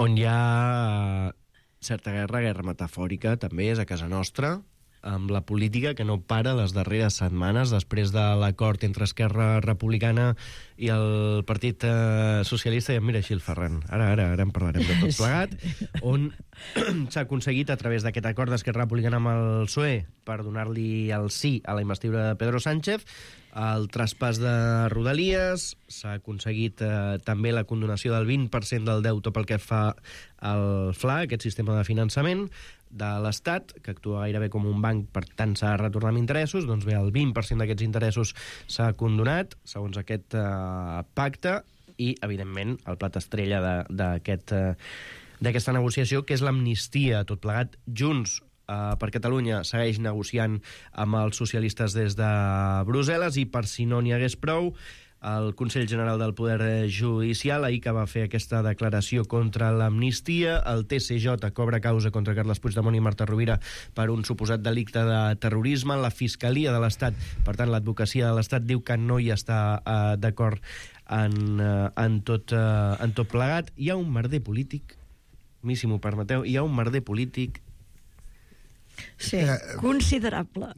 On hi ha certa guerra, guerra metafòrica, també és a casa nostra, amb la política que no para les darreres setmanes després de l'acord entre Esquerra Republicana i el Partit eh, Socialista. I mira així el Ferran, ara, ara, ara en parlarem de tot plegat, on s'ha aconseguit a través d'aquest acord d'Esquerra Republicana amb el P S O E per donar-li el sí a la investidura de Pedro Sánchez, el traspàs de Rodalies, s'ha aconseguit eh, també la condonació del vint per cent del deute pel que fa al F L A, aquest sistema de finançament de l'Estat, que actua gairebé com un banc, per tant s'ha de retornar amb interessos. Doncs bé, el vint per cent d'aquests interessos s'ha condonat, segons aquest eh, pacte, i, evidentment, el plat estrella d'aquest eh, d'aquesta negociació, que és l'amnistia, tot plegat. Junts eh, per Catalunya segueix negociant amb els socialistes des de Brussel·les, i per si no n'hi hagués prou, el Consell General del Poder Judicial, ahir que va fer aquesta declaració contra l'amnistia, el T C J cobra causa contra Carles Puigdemont i Marta Rovira per un suposat delicte de terrorisme. La Fiscalia de l'Estat, per tant l'advocacia de l'Estat, diu que no hi està eh, d'acord en, eh, en, tot, eh, en tot plegat. Hi ha un merder polític, a mi si m'ho permeteu, hi ha un merder polític sí, eh, considerable.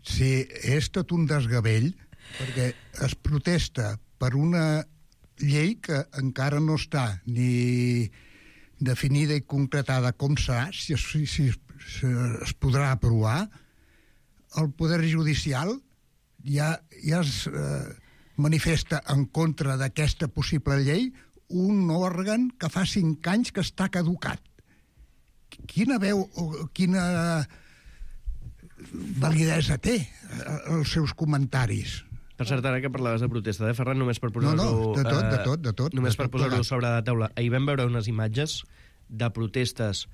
Sí, és tot un desgavell, perquè es protesta per una llei que encara no està ni definida i concretada com serà, si es, si, si es podrà aprovar. El Poder Judicial ja, ja es eh, manifesta en contra d'aquesta possible llei, un òrgan que fa cinc anys que està caducat. Quina veu o quina validesa té els seus comentaris? Per cert, ara que parlaves de protesta de Ferran, només per posar-ho... No, no, de tot, de tot, de tot. Només de per posar-ho sobre la taula. Ahir vam veure unes imatges de protestes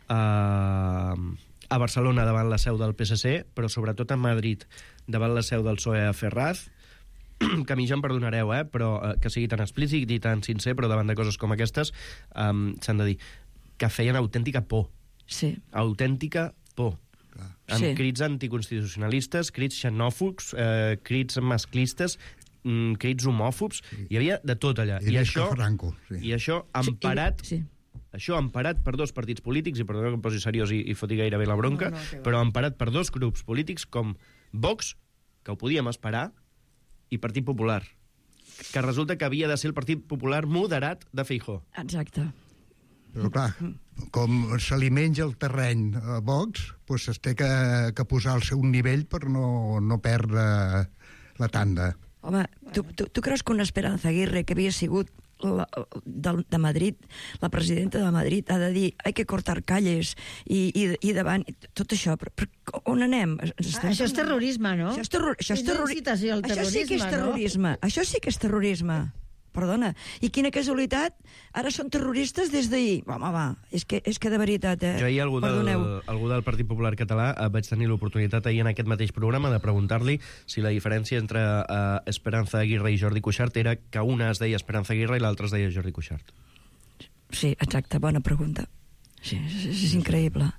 eh, a Barcelona davant la seu del P S C, però sobretot a Madrid davant la seu del P S O E a Ferraz, que a mi ja em perdonareu, eh, però eh, que sigui tan explícit i tan sincer, però davant de coses com aquestes eh, s'han de dir que feien autèntica por. Sí. Autèntica por. Amb Sí. crits anticonstitucionalistes, crits xenòfobs, eh, crits masclistes, mm, crits homòfobs, hi havia de tot allà. I, I això, Franco, sí. i això emparat, Sí, això emparat per dos partits polítics, i perdó que em posi seriós i, i foti gairebé la bronca, No, no, que va. però emparat per dos grups polítics com Vox, que ho podíem esperar, i Partit Popular, que resulta que havia de ser el Partit Popular moderat de Feijóo. Exacte. Però clar, com se li menja el terreny a Vox, doncs es té que, que posar al seu nivell per no, no perdre la tanda. Home, tu, tu, tu creus que una Esperanza Aguirre, que havia sigut la, de, de Madrid, la presidenta de Madrid, ha de dir hay que cortar calles i, i, i davant, tot això, però, però on anem? Ah, això és terrorisme, no? Això és, terror, això és, És terrori... incitació al això sí que és terrorisme, no? terrorisme. Això sí que és terrorisme. Perdona. I quina casualitat, ara són terroristes des d'ahir. Home, va, és que, és que de veritat, eh? Jo ahir algú del, Perdoneu. algú del Partit Popular Català eh, vaig tenir l'oportunitat ahir en aquest mateix programa de preguntar-li si la diferència entre eh, Esperanza Aguirre i Jordi Cuixart era que una es deia Esperanza Aguirre i l'altra es deia Jordi Cuixart. Sí, exacte, bona pregunta. Sí, és, és increïble.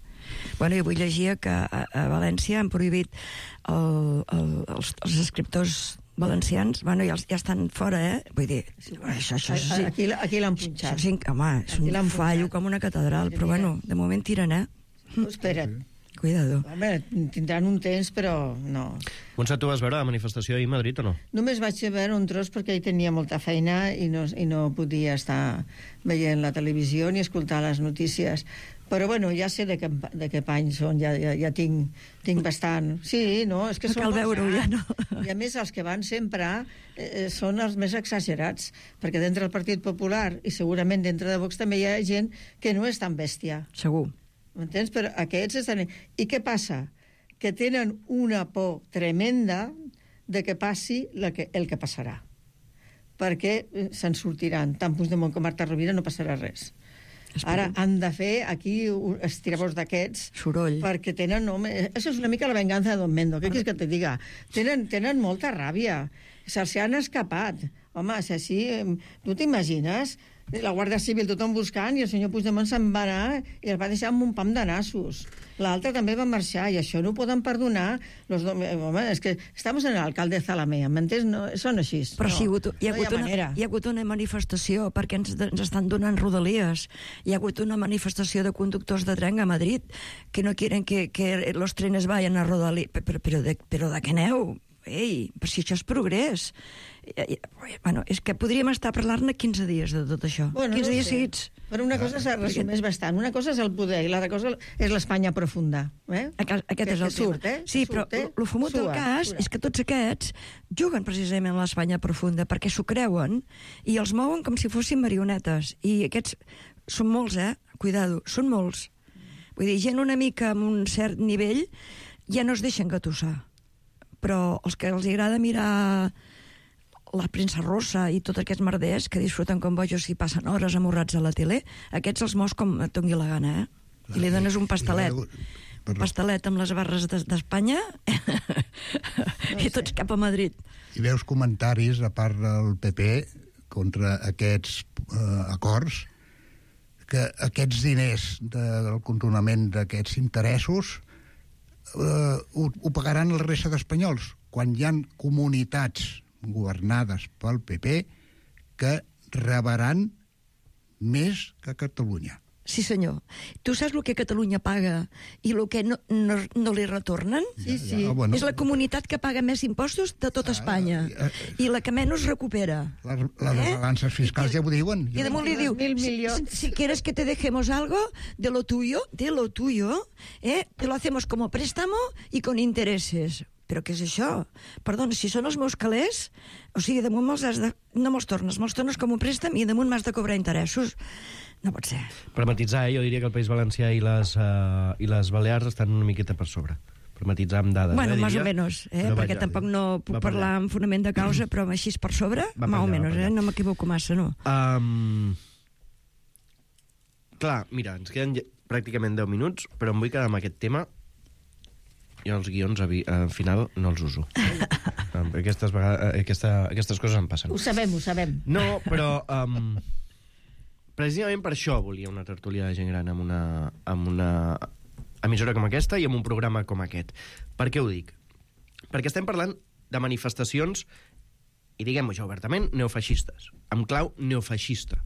Bueno, jo vull llegir que a, a València han prohibit el, el, els, els escriptors valencians, bueno, ja, ja estan fora, eh? Vull dir, això, això, sí, Aquí, aquí l'han punxat. això, sí, home, és Aquí un l'han fallo com una catedral, però bueno, de moment tiren, eh? Tu espera't. cuidado. Home, tindran un temps, però no. Montse, tu vas veure la manifestació ahir a Madrid o no? Només vaig veure un tros perquè hi tenia molta feina i no, i no podia estar veient la televisió ni escoltar les notícies. Però, bueno, ja sé de què, de què pany són, ja, ja, ja tinc, tinc bastant. Sí, no, és que No són cal molts veure-ho, ja anys. no. I, a més, els que van sempre eh, són els més exagerats, perquè dintre del Partit Popular i segurament dintre de Vox també hi ha gent que no és tan bèstia. Segur. M'entens? Però aquests estan... I què passa? Que tenen una por tremenda de que passi la que, el que passarà. Perquè eh, se'n sortiran. Tant Puigdemont com Marta Rovira no passarà res. Ara han de fer aquí estirabors d'aquests soroll, perquè tenen... Home, això és una mica la venganza de Don Mendo, què quieres que te diga? Tenen, tenen molta ràbia, se'ls han escapat. Home, si així, tu t'imagines la Guàrdia Civil tothom buscant i el senyor Puigdemont se'n va anar i el va deixar amb un pam de nassos. L'altre també va marxar i això no ho poden perdonar. Los do... Home, és que estamos en l'alcalde Zalamea, m'entens? No, són així. Però no, sí, hi ha hagut, hi ha, no hi ha hagut una, manera. hi ha hagut una manifestació perquè ens, ens estan donant rodalies. Hi ha hagut una manifestació de conductors de tren a Madrid que no quieren que, que los trenes vayan a rodalies. Però, però, de, però de què aneu? Ei, però si això és progrés. Bueno, és que podríem estar parlant-ne quinze dies de tot això. Bueno, quinze no dies sé. seguits. Però una cosa se resumeix bastant. Una cosa és el poder i l'altra cosa és l'Espanya profunda. Eh? Aquest que, és el que surt, tema. eh? Sí, que però surt, eh? el fumut del Sua, cas sura. és que tots aquests juguen precisament a l'Espanya profunda perquè s'ho creuen i els mouen com si fossin marionetes. I aquests són molts, eh? Cuidado, són molts. Vull dir, gent una mica amb un cert nivell ja no es deixen gatussar. Però els que els agrada mirar la premsa rossa i tots aquests merders que disfruten com bojos i passen hores amorrats a la tele, aquests els mous com et doni la gana, eh? I li dones un pastelet. Un pastelet amb les barres d'Espanya i tots cap a Madrid. I veus comentaris, a part del P P, contra aquests eh, acords, que aquests diners de, del contornament d'aquests interessos eh, ho, ho pagaran el resta d'espanyols, quan hi ha comunitats governades pel P P que rebaran més que Catalunya. Sí, senyor. Tu saps el que Catalunya paga i el que no, no, no li retornen? Sí, sí. Ja, bueno. És la comunitat que paga més impostos de tota Espanya i la que menys recupera. Les, les eh? balances fiscals ja ho diuen. I damunt li diu, si, si quieres que te dejemos algo de lo tuyo, de lo tuyo, eh, te lo hacemos como préstamo y con intereses. Però què és això? Perdona, si són els meus calés, o sigui, damunt me'ls has de... no me'ls tornes, me'ls tornes com un préstec i damunt m'has de cobrar interessos. No pot ser. Per matitzar, eh, jo diria que el País Valencià i les, uh, i les Balears estan una miqueta per sobre. Per matitzar amb dades, bueno, eh, més diria. o menys, eh? Però perquè vaja, tampoc no puc parlar amb fonament de causa, però així per sobre, Va per més o allà, menys, va per eh? No m'equivoco massa, no? Um... Clar, mira, ens queden ja- pràcticament deu minuts, però em vull quedar amb aquest tema. Jo els guions al final no els uso. Aquestes, vegades, aquesta, aquestes coses em passen. Ho sabem, ho sabem. No, però um, precisament per això volia una tertúlia de gent gran amb una, amb una emissora com aquesta i amb un programa com aquest. Per què ho dic? Perquè estem parlant de manifestacions, i diguem-ho ja obertament, neofeixistes, amb clau neofeixista.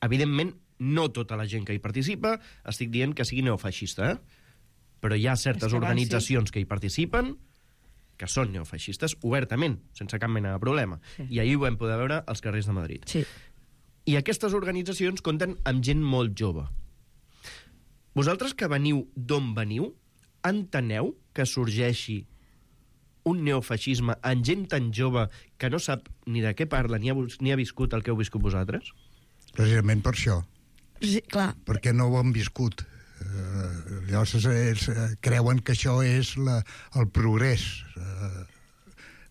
Evidentment, no tota la gent que hi participa estic dient que sigui neofeixista, eh? Però hi ha certes organitzacions que hi participen que són neofeixistes obertament, sense cap mena de problema. Sí. I ahir ho vam poder veure als carrers de Madrid. Sí. I aquestes organitzacions compten amb gent molt jove. Vosaltres que veniu d'on veniu, enteneu que sorgeixi un neofeixisme en gent tan jove que no sap ni de què parla ni ha, ni ha viscut el que heu viscut vosaltres? Precisament per això. Sí, clar. Perquè no ho han viscut. Uh, llavors es, uh, creuen que això és la, el progrés. Uh,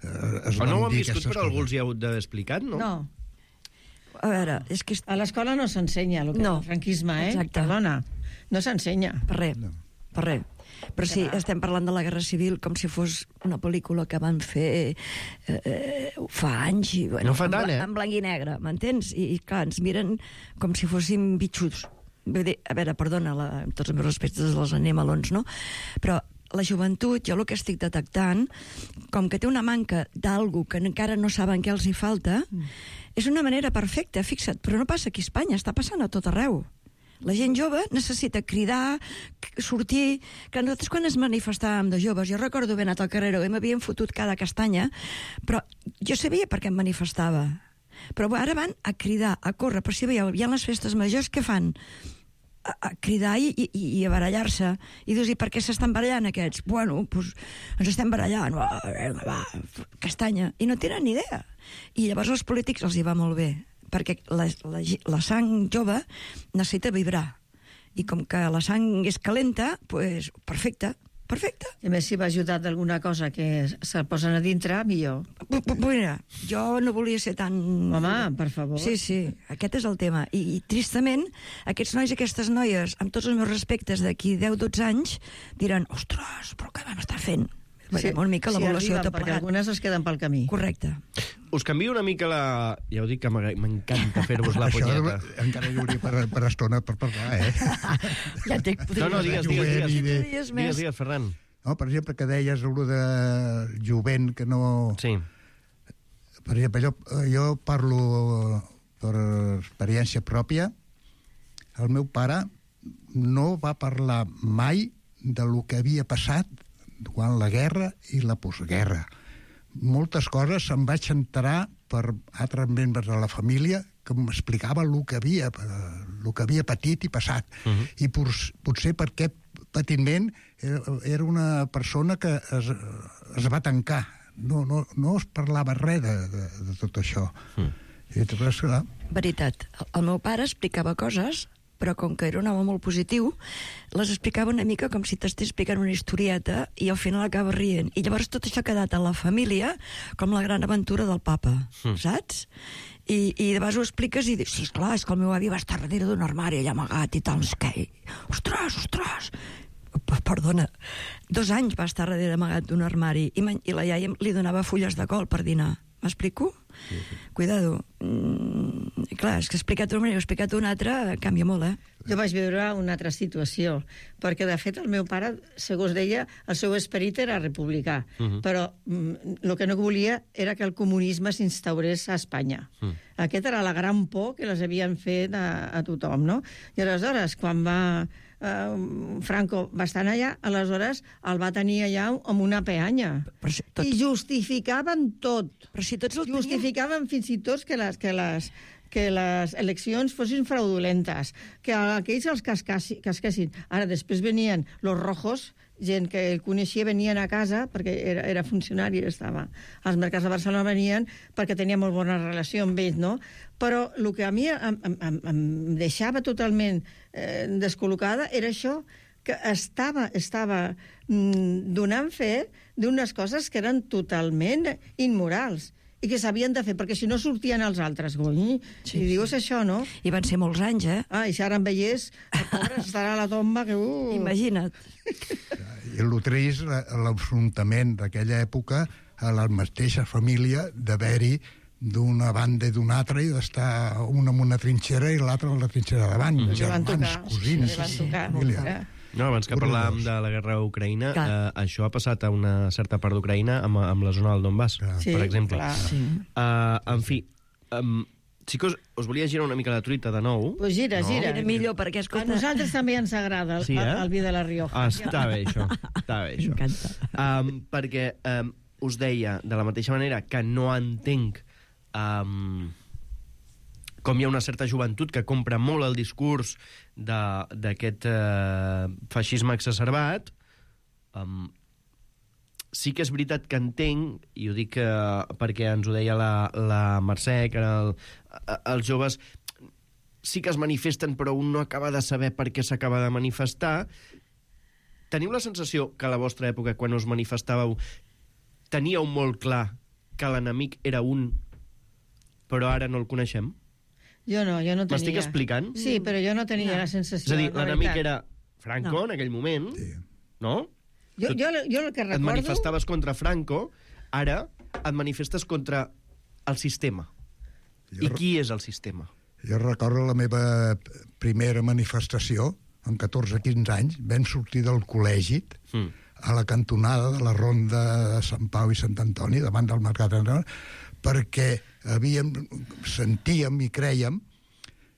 uh, o no ho han viscut, però algú els hi ha hagut d'haver explicat, no? No. A veure, és que... A l'escola no s'ensenya el que no. és el franquisme, eh? Exacte. Perdona, no s'ensenya. Per res, no. per res. Però sí, estem parlant de la Guerra Civil com si fos una pel·lícula que van fer eh, eh, fa anys. I, bueno, no fa tant, eh? En blanc i negre, m'entens? I, I clar, ens miren com si fóssim bitxuts. Vull dir, a veure, perdona, la, tots els meus respectes als animalons, no? Però la joventut, jo el que estic detectant, com que té una manca d'algú que encara no saben què els hi falta, mm. és una manera perfecta, fixa't, però no passa aquí a Espanya, està passant a tot arreu. La gent jove necessita cridar, sortir... Que nosaltres quan ens manifestàvem de joves, jo recordo haver anat al carrer i m'havien fotut cada castanya, però jo sabia per què em manifestava. Però ara van a cridar, a córrer, però si veieu, hi ha les festes majors, què fan? A, a cridar i, i, i a barallar-se. I dius, i per què s'estan barallant aquests? Bueno, doncs ens estem barallant, va, va, castanya. I no tenen ni idea. I llavors als polítics els hi va molt bé, perquè la, la, la sang jove necessita vibrar. I com que la sang és calenta, doncs perfecte, perfecte. I a més, si va ajudar d'alguna cosa que se'l posen a dintre, millor. Mira, jo no volia ser tan... Home, per favor. Sí, sí, aquest és el tema. I, i tristament, aquests nois i aquestes noies, amb tots els meus respectes d'aquí deu o dotze anys, diran, ostres, però què vam estar fent? Sí, una mica l'evolució sí, perquè algunes es queden pel camí. Correcte. Us canvio una mica la... Ja ho dic que m'encanta fer-vos la punyeta. Això encara hi hauria per, per estona per parlar, eh? Ja t'he... No, no, digues, digues, digues. De... Digues, digues, digues, Ferran. No, per exemple, que deies allò de jovent que no... Sí. Per exemple, jo, jo parlo per experiència pròpia. El meu pare no va parlar mai de lo que havia passat durant la guerra i la postguerra. Moltes coses em vaig enterar per altres membres de la família que m'explicava el que havia, el que havia patit i passat. Uh -huh. I potser per aquest patiment era una persona que es, es va tancar. No, no, no es parlava res de, de, de tot això. Uh -huh. I després, clar... Veritat. El meu pare explicava coses, però com que era un home molt positiu, les explicava una mica com si t'estés explicant una historieta i al final acaba rient. I llavors tot això ha quedat a la família com la gran aventura del papa, mm. saps? I, i de vegades ho expliques i dius, sí, esclar, és que el meu avi va estar darrere d'un armari allà amagat i tal, que... Ostres, ostres! Perdona, dos anys va estar darrere amagat d'un armari i, i la iaia li donava fulles de col per dinar. M'explico? Sí, sí. Cuidado. Mm, clar, és que he explicat una manera, he explicat una altra, canvia molt, eh? Jo vaig viure una altra situació, perquè, de fet, el meu pare, segons deia, el seu esperit era republicà, uh -huh. però mm, el que no volia era que el comunisme s'instaurés a Espanya. Uh -huh. Aquesta era la gran por que les havien fet a, a tothom, no? I aleshores, quan va... Uh, Franco va estar allà, aleshores el va tenir allà amb una peanya. Si tot... I justificaven tot. Però si tots el justificaven fins i tot que les, que les, que les eleccions fossin fraudulentes, que aquells els casquessin. Ara, després venien los rojos, gent que el coneixia, venien a casa, perquè era, era funcionari, estava als mercats de Barcelona, venien perquè tenia molt bona relació amb ells, no? Però el que a mi em, em, em deixava totalment eh, descol·locada era això, que estava, estava mm, donant fe d'unes coses que eren totalment immorals i que s'havien de fer, perquè si no sortien els altres, gony, sí, i dius això, no? I van ser molts anys, eh? Ah, i si ara em veiés, el pobre estarà a la tomba que... Uh... Imagina't. I el trist, l'enfrontament d'aquella època a la mateixa família d'haver-hi d'una banda i d'una altra i d'estar una en una trinxera i l'altra en la trinxera davant. Mm. Germans, cosins, família. No, abans que parlàvem de la guerra a Ucraïna, eh, això ha passat a una certa part d'Ucraïna amb, amb la zona del Donbass, sí, per exemple. Sí. Uh, en fi, um, xicos, us volia girar una mica la truita de nou. Pues gira, no? gira. Era millor, perquè escolta... A nosaltres també ens agrada el, sí, eh? el vi de la Rioja. Ah, està bé, això. Està bé, això. M'encanta. Um, perquè um, us deia, de la mateixa manera que no entenc um, com hi ha una certa joventut que compra molt el discurs d'aquest uh, feixisme exacerbat, um, sí que és veritat que entenc, i ho dic uh, perquè ens ho deia la, la Mercè, que el, els joves sí que es manifesten, però un no acaba de saber per què s'acaba de manifestar. Teniu la sensació que a la vostra època, quan us manifestàveu, teníeu molt clar que l'enemic era un, però ara no el coneixem? Jo no, jo no tenia. M'estic explicant? Sí, però jo no tenia no. la sensació. És a dir, l'enemic era Franco no. en aquell moment, sí. no? Jo, jo, jo el que recordo... Et manifestaves contra Franco, ara et manifestes contra el sistema. Jo I qui és el sistema? Jo recordo la meva primera manifestació, amb catorze quinze anys, vam sortir del col·legi mm. a la cantonada de la ronda de Sant Pau i Sant Antoni, davant del Mercat d'Antoni, perquè havíem, sentíem i crèiem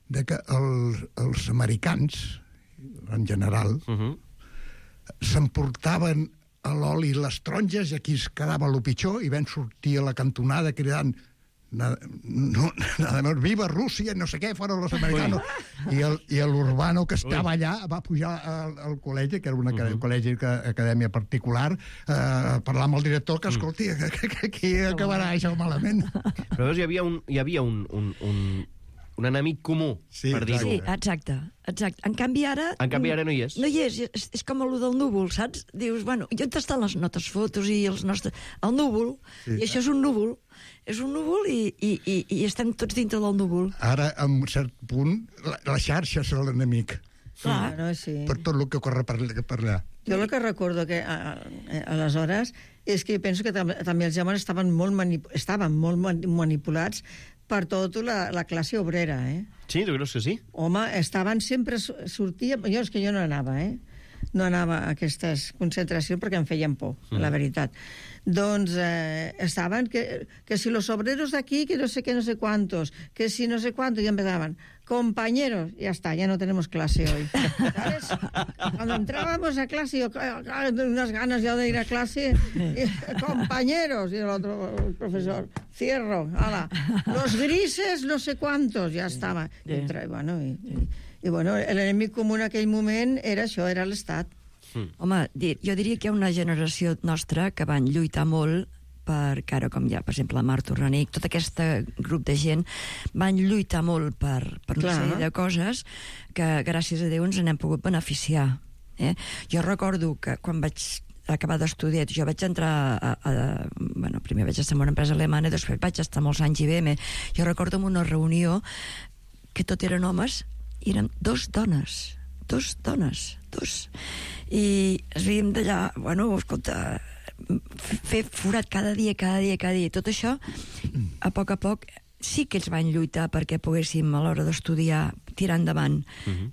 de que els, els americans, en general, uh -huh. s'emportaven a l'oli les taronges i aquí es quedava el pitjor i van sortir a la cantonada cridant nada, no, nada más, viva Rússia, no sé què, fueron los americanos. I, el, i l'Urbano, que estava Ui. allà, va pujar al, al col·legi, que era un uh -huh. col·legi, acadèmia particular, eh, parlar amb el director, que escolti, que, que, que aquí acabarà això malament. Però veus, hi havia un, hi havia un, un, un, un enemic comú, sí, per dir-ho. Sí, exacte, exacte. En canvi ara... En canvi ara no hi és. No hi és, és, és com allò del núvol, saps? Dius, bueno, i on estan les nostres fotos i els nostres... El núvol, sí. I això és un núvol, és un núvol i, i, i, i estem tots dintre del núvol. Ara, a un cert punt, la, la xarxa és l'enemic. Clar, no, sí. Per tot el que corre per, per allà. Jo el que recordo que a, a, aleshores és que penso que tam també els germans estaven molt, manip estaven molt manipulats per tota la, la classe obrera, eh? Sí, tu creus que sí? Home, estaven sempre... Sortia... Jo és que jo no anava, eh? No anava a aquestes concentracions perquè em feien por, mm. la veritat. Doncs eh, estaven que, que si los obreros d'aquí, que no sé qué, no sé cuántos, que si no sé cuántos, y empezaban, compañeros, ya está, ya no tenemos clase hoy. ¿Sabes? Cuando entrábamos a clase, yo, unas ganas ya de ir a clase, y, compañeros, y el otro el profesor, cierro, ala, los grises, no sé cuántos, ya estaba. I, entra, bueno, i, i, i bueno, l'enemic comú en aquell moment era això, era l'Estat. Mm. Home, jo diria que hi ha una generació nostra que van lluitar molt per, que ara com hi ha, per exemple, la Marta Orranic, tot aquest grup de gent van lluitar molt per, per una sèrie de coses que, gràcies a Déu, ens n'hem pogut beneficiar. Eh? Jo recordo que quan vaig acabar d'estudiar, jo vaig entrar a, a, bueno, primer vaig estar en una empresa alemana i després vaig estar molts anys a I B M. Jo recordo en una reunió que tot eren homes i eren dos dones, dos dones, dos. I es veiem d'allà, bueno, escolta, fer forat cada dia, cada dia, cada dia. Tot això, a poc a poc, sí que ells van lluitar perquè poguéssim, a l'hora d'estudiar, tirar endavant. Uh-huh.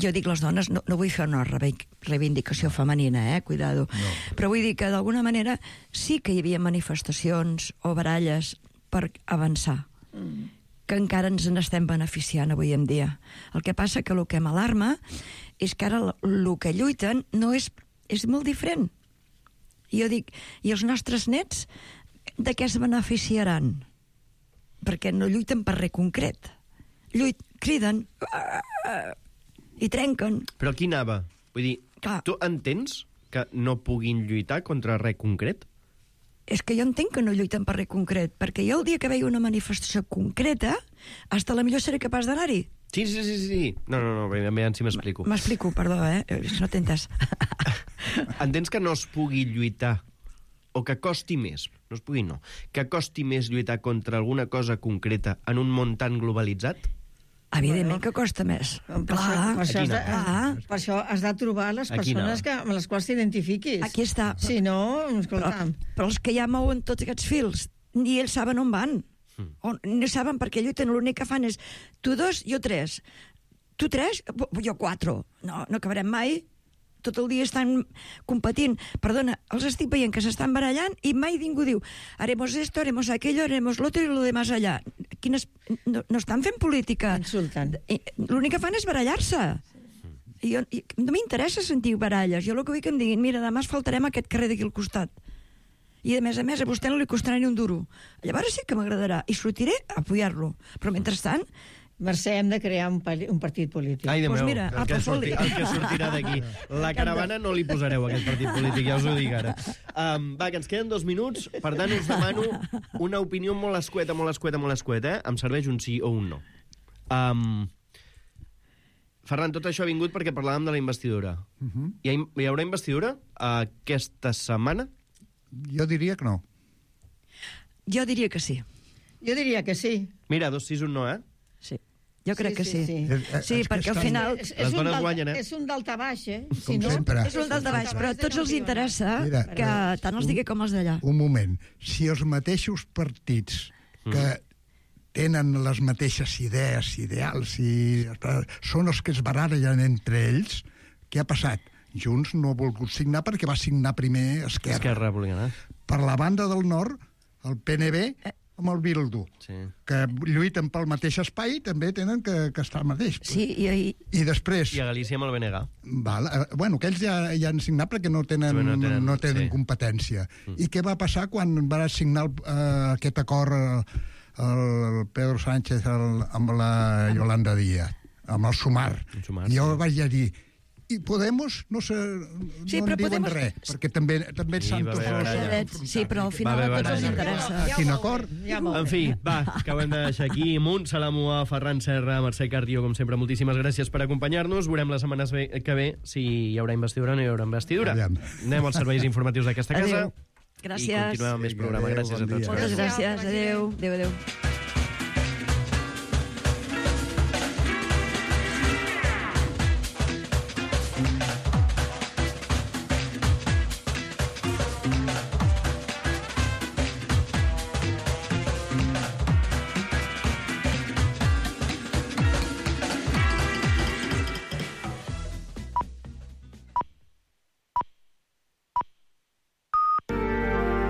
Jo dic les dones, no, no vull fer una reivindicació femenina, eh? Cuidado. No. Però vull dir que, d'alguna manera, sí que hi havia manifestacions o baralles per avançar. Mm. Que encara ens n'estem beneficiant avui en dia. El que passa que el que m'alarma és que ara el que lluiten no és, és molt diferent. I jo dic, i els nostres nets de què es beneficiaran? Perquè no lluiten per res concret. Lluit, criden i trenquen. Però aquí anava. Vull dir, clar, tu entens que no puguin lluitar contra res concret? És que jo entenc que no lluiten per res concret, perquè jo el dia que veia una manifestació concreta, hasta la millor seré capaç d'anar-hi. Sí, sí, sí, sí. No, no, no, veiem si m'explico. M'explico, perdó, eh? No t'he entès. Entens que no es pugui lluitar, o que costi més, no es pugui no, que costi més lluitar contra alguna cosa concreta en un món tan globalitzat? Evidentment que costa més. Per, clar, per, això, has de, ah, per això has de trobar les persones que, amb les quals t'identifiquis. Aquí està. Si no, escolta'm... Però, però els que ja mouen tots aquests fils, ni ells saben on van. Mm. O no saben perquè lluiten, l'únic que fan és tu dos, jo tres. Tu tres, jo quatre. No, no acabarem mai. Tot el dia estan competint. Perdona, els estic veient que s'estan barallant i mai ningú diu haremos esto, haremos aquello, haremos lo otro y lo demás allá. Quines... No, no estan fent política. Insulten. L'únic que fan és barallar-se. I jo, i no m'interessa sentir baralles. Jo el que vull que em diguin, mira, demà faltarem aquest carrer d'aquí al costat. I, a més a més, a vostè no li costarà ni un duro. Llavors sí que m'agradarà. I sortiré a apoyar-lo. Però, mentrestant, Mercè, hem de crear un, un partit polític. Ai, de meu, pues mira, el, que sorti, el que sortirà d'aquí. La caravana no li posareu, aquest partit polític, ja us ho dic ara. Um, va, que ens queden dos minuts, per tant us demano una opinió molt escueta, molt escueta, molt escueta, eh? Em serveix un sí o un no. Um, Ferran, tot això ha vingut perquè parlàvem de la investidura. Uh -huh. hi, ha, hi haurà investidura aquesta setmana? Jo diria que no. Jo diria que sí. Jo diria que sí. Mira, dos sí, un no, eh? Sí. Jo crec sí, que sí. Sí, sí. sí perquè al final... És, és, un guanyen, eh? és un daltabaix, eh? Si no, és un daltabaix, però a tots els interessa Mira, que tant els digui com els d'allà. Un moment. Si els mateixos partits que mm. tenen les mateixes idees, ideals, i són els que es barallen entre ells, què ha passat? Junts no ha volgut signar perquè va signar primer Esquerra. Esquerra Republicana. Per la banda del nord, el P N B... Eh. amb el Bildu, sí. que lluiten pel mateix espai, també tenen que, que estar al mateix. Sí, i, i... I després... I a Galícia amb el B N G. Val, eh, bueno, aquells ja, ja han signat perquè no tenen, Sí, no tenen, no tenen sí. competència. Mm. I què va passar quan va signar el, uh, aquest acord el, el Pedro Sánchez el, amb la Yolanda Díaz, amb el Sumar? El Sumar, jo sí. vaig dir, i Podemos no, se, Sí, no però en diuen Podemos- res, perquè també, també Sí, s'han va tot haver baralla. Sí, però al final Va a haver tots els baralla. interessa. Quin acord? En fi, va, que ho hem de deixar aquí. Munt, Salamua, Ferran Serra, Mercè Cardio, com sempre, moltíssimes gràcies per acompanyar-nos. Veurem les setmanes ve- que ve si hi haurà investidura o no hi haurà investidura. Aviam. Anem als serveis informatius d'aquesta casa. Adéu. Gràcies. I continuem amb més programa. Adéu, Gràcies bon a tots. dia. Moltes gràcies. Adéu. Adéu, adéu.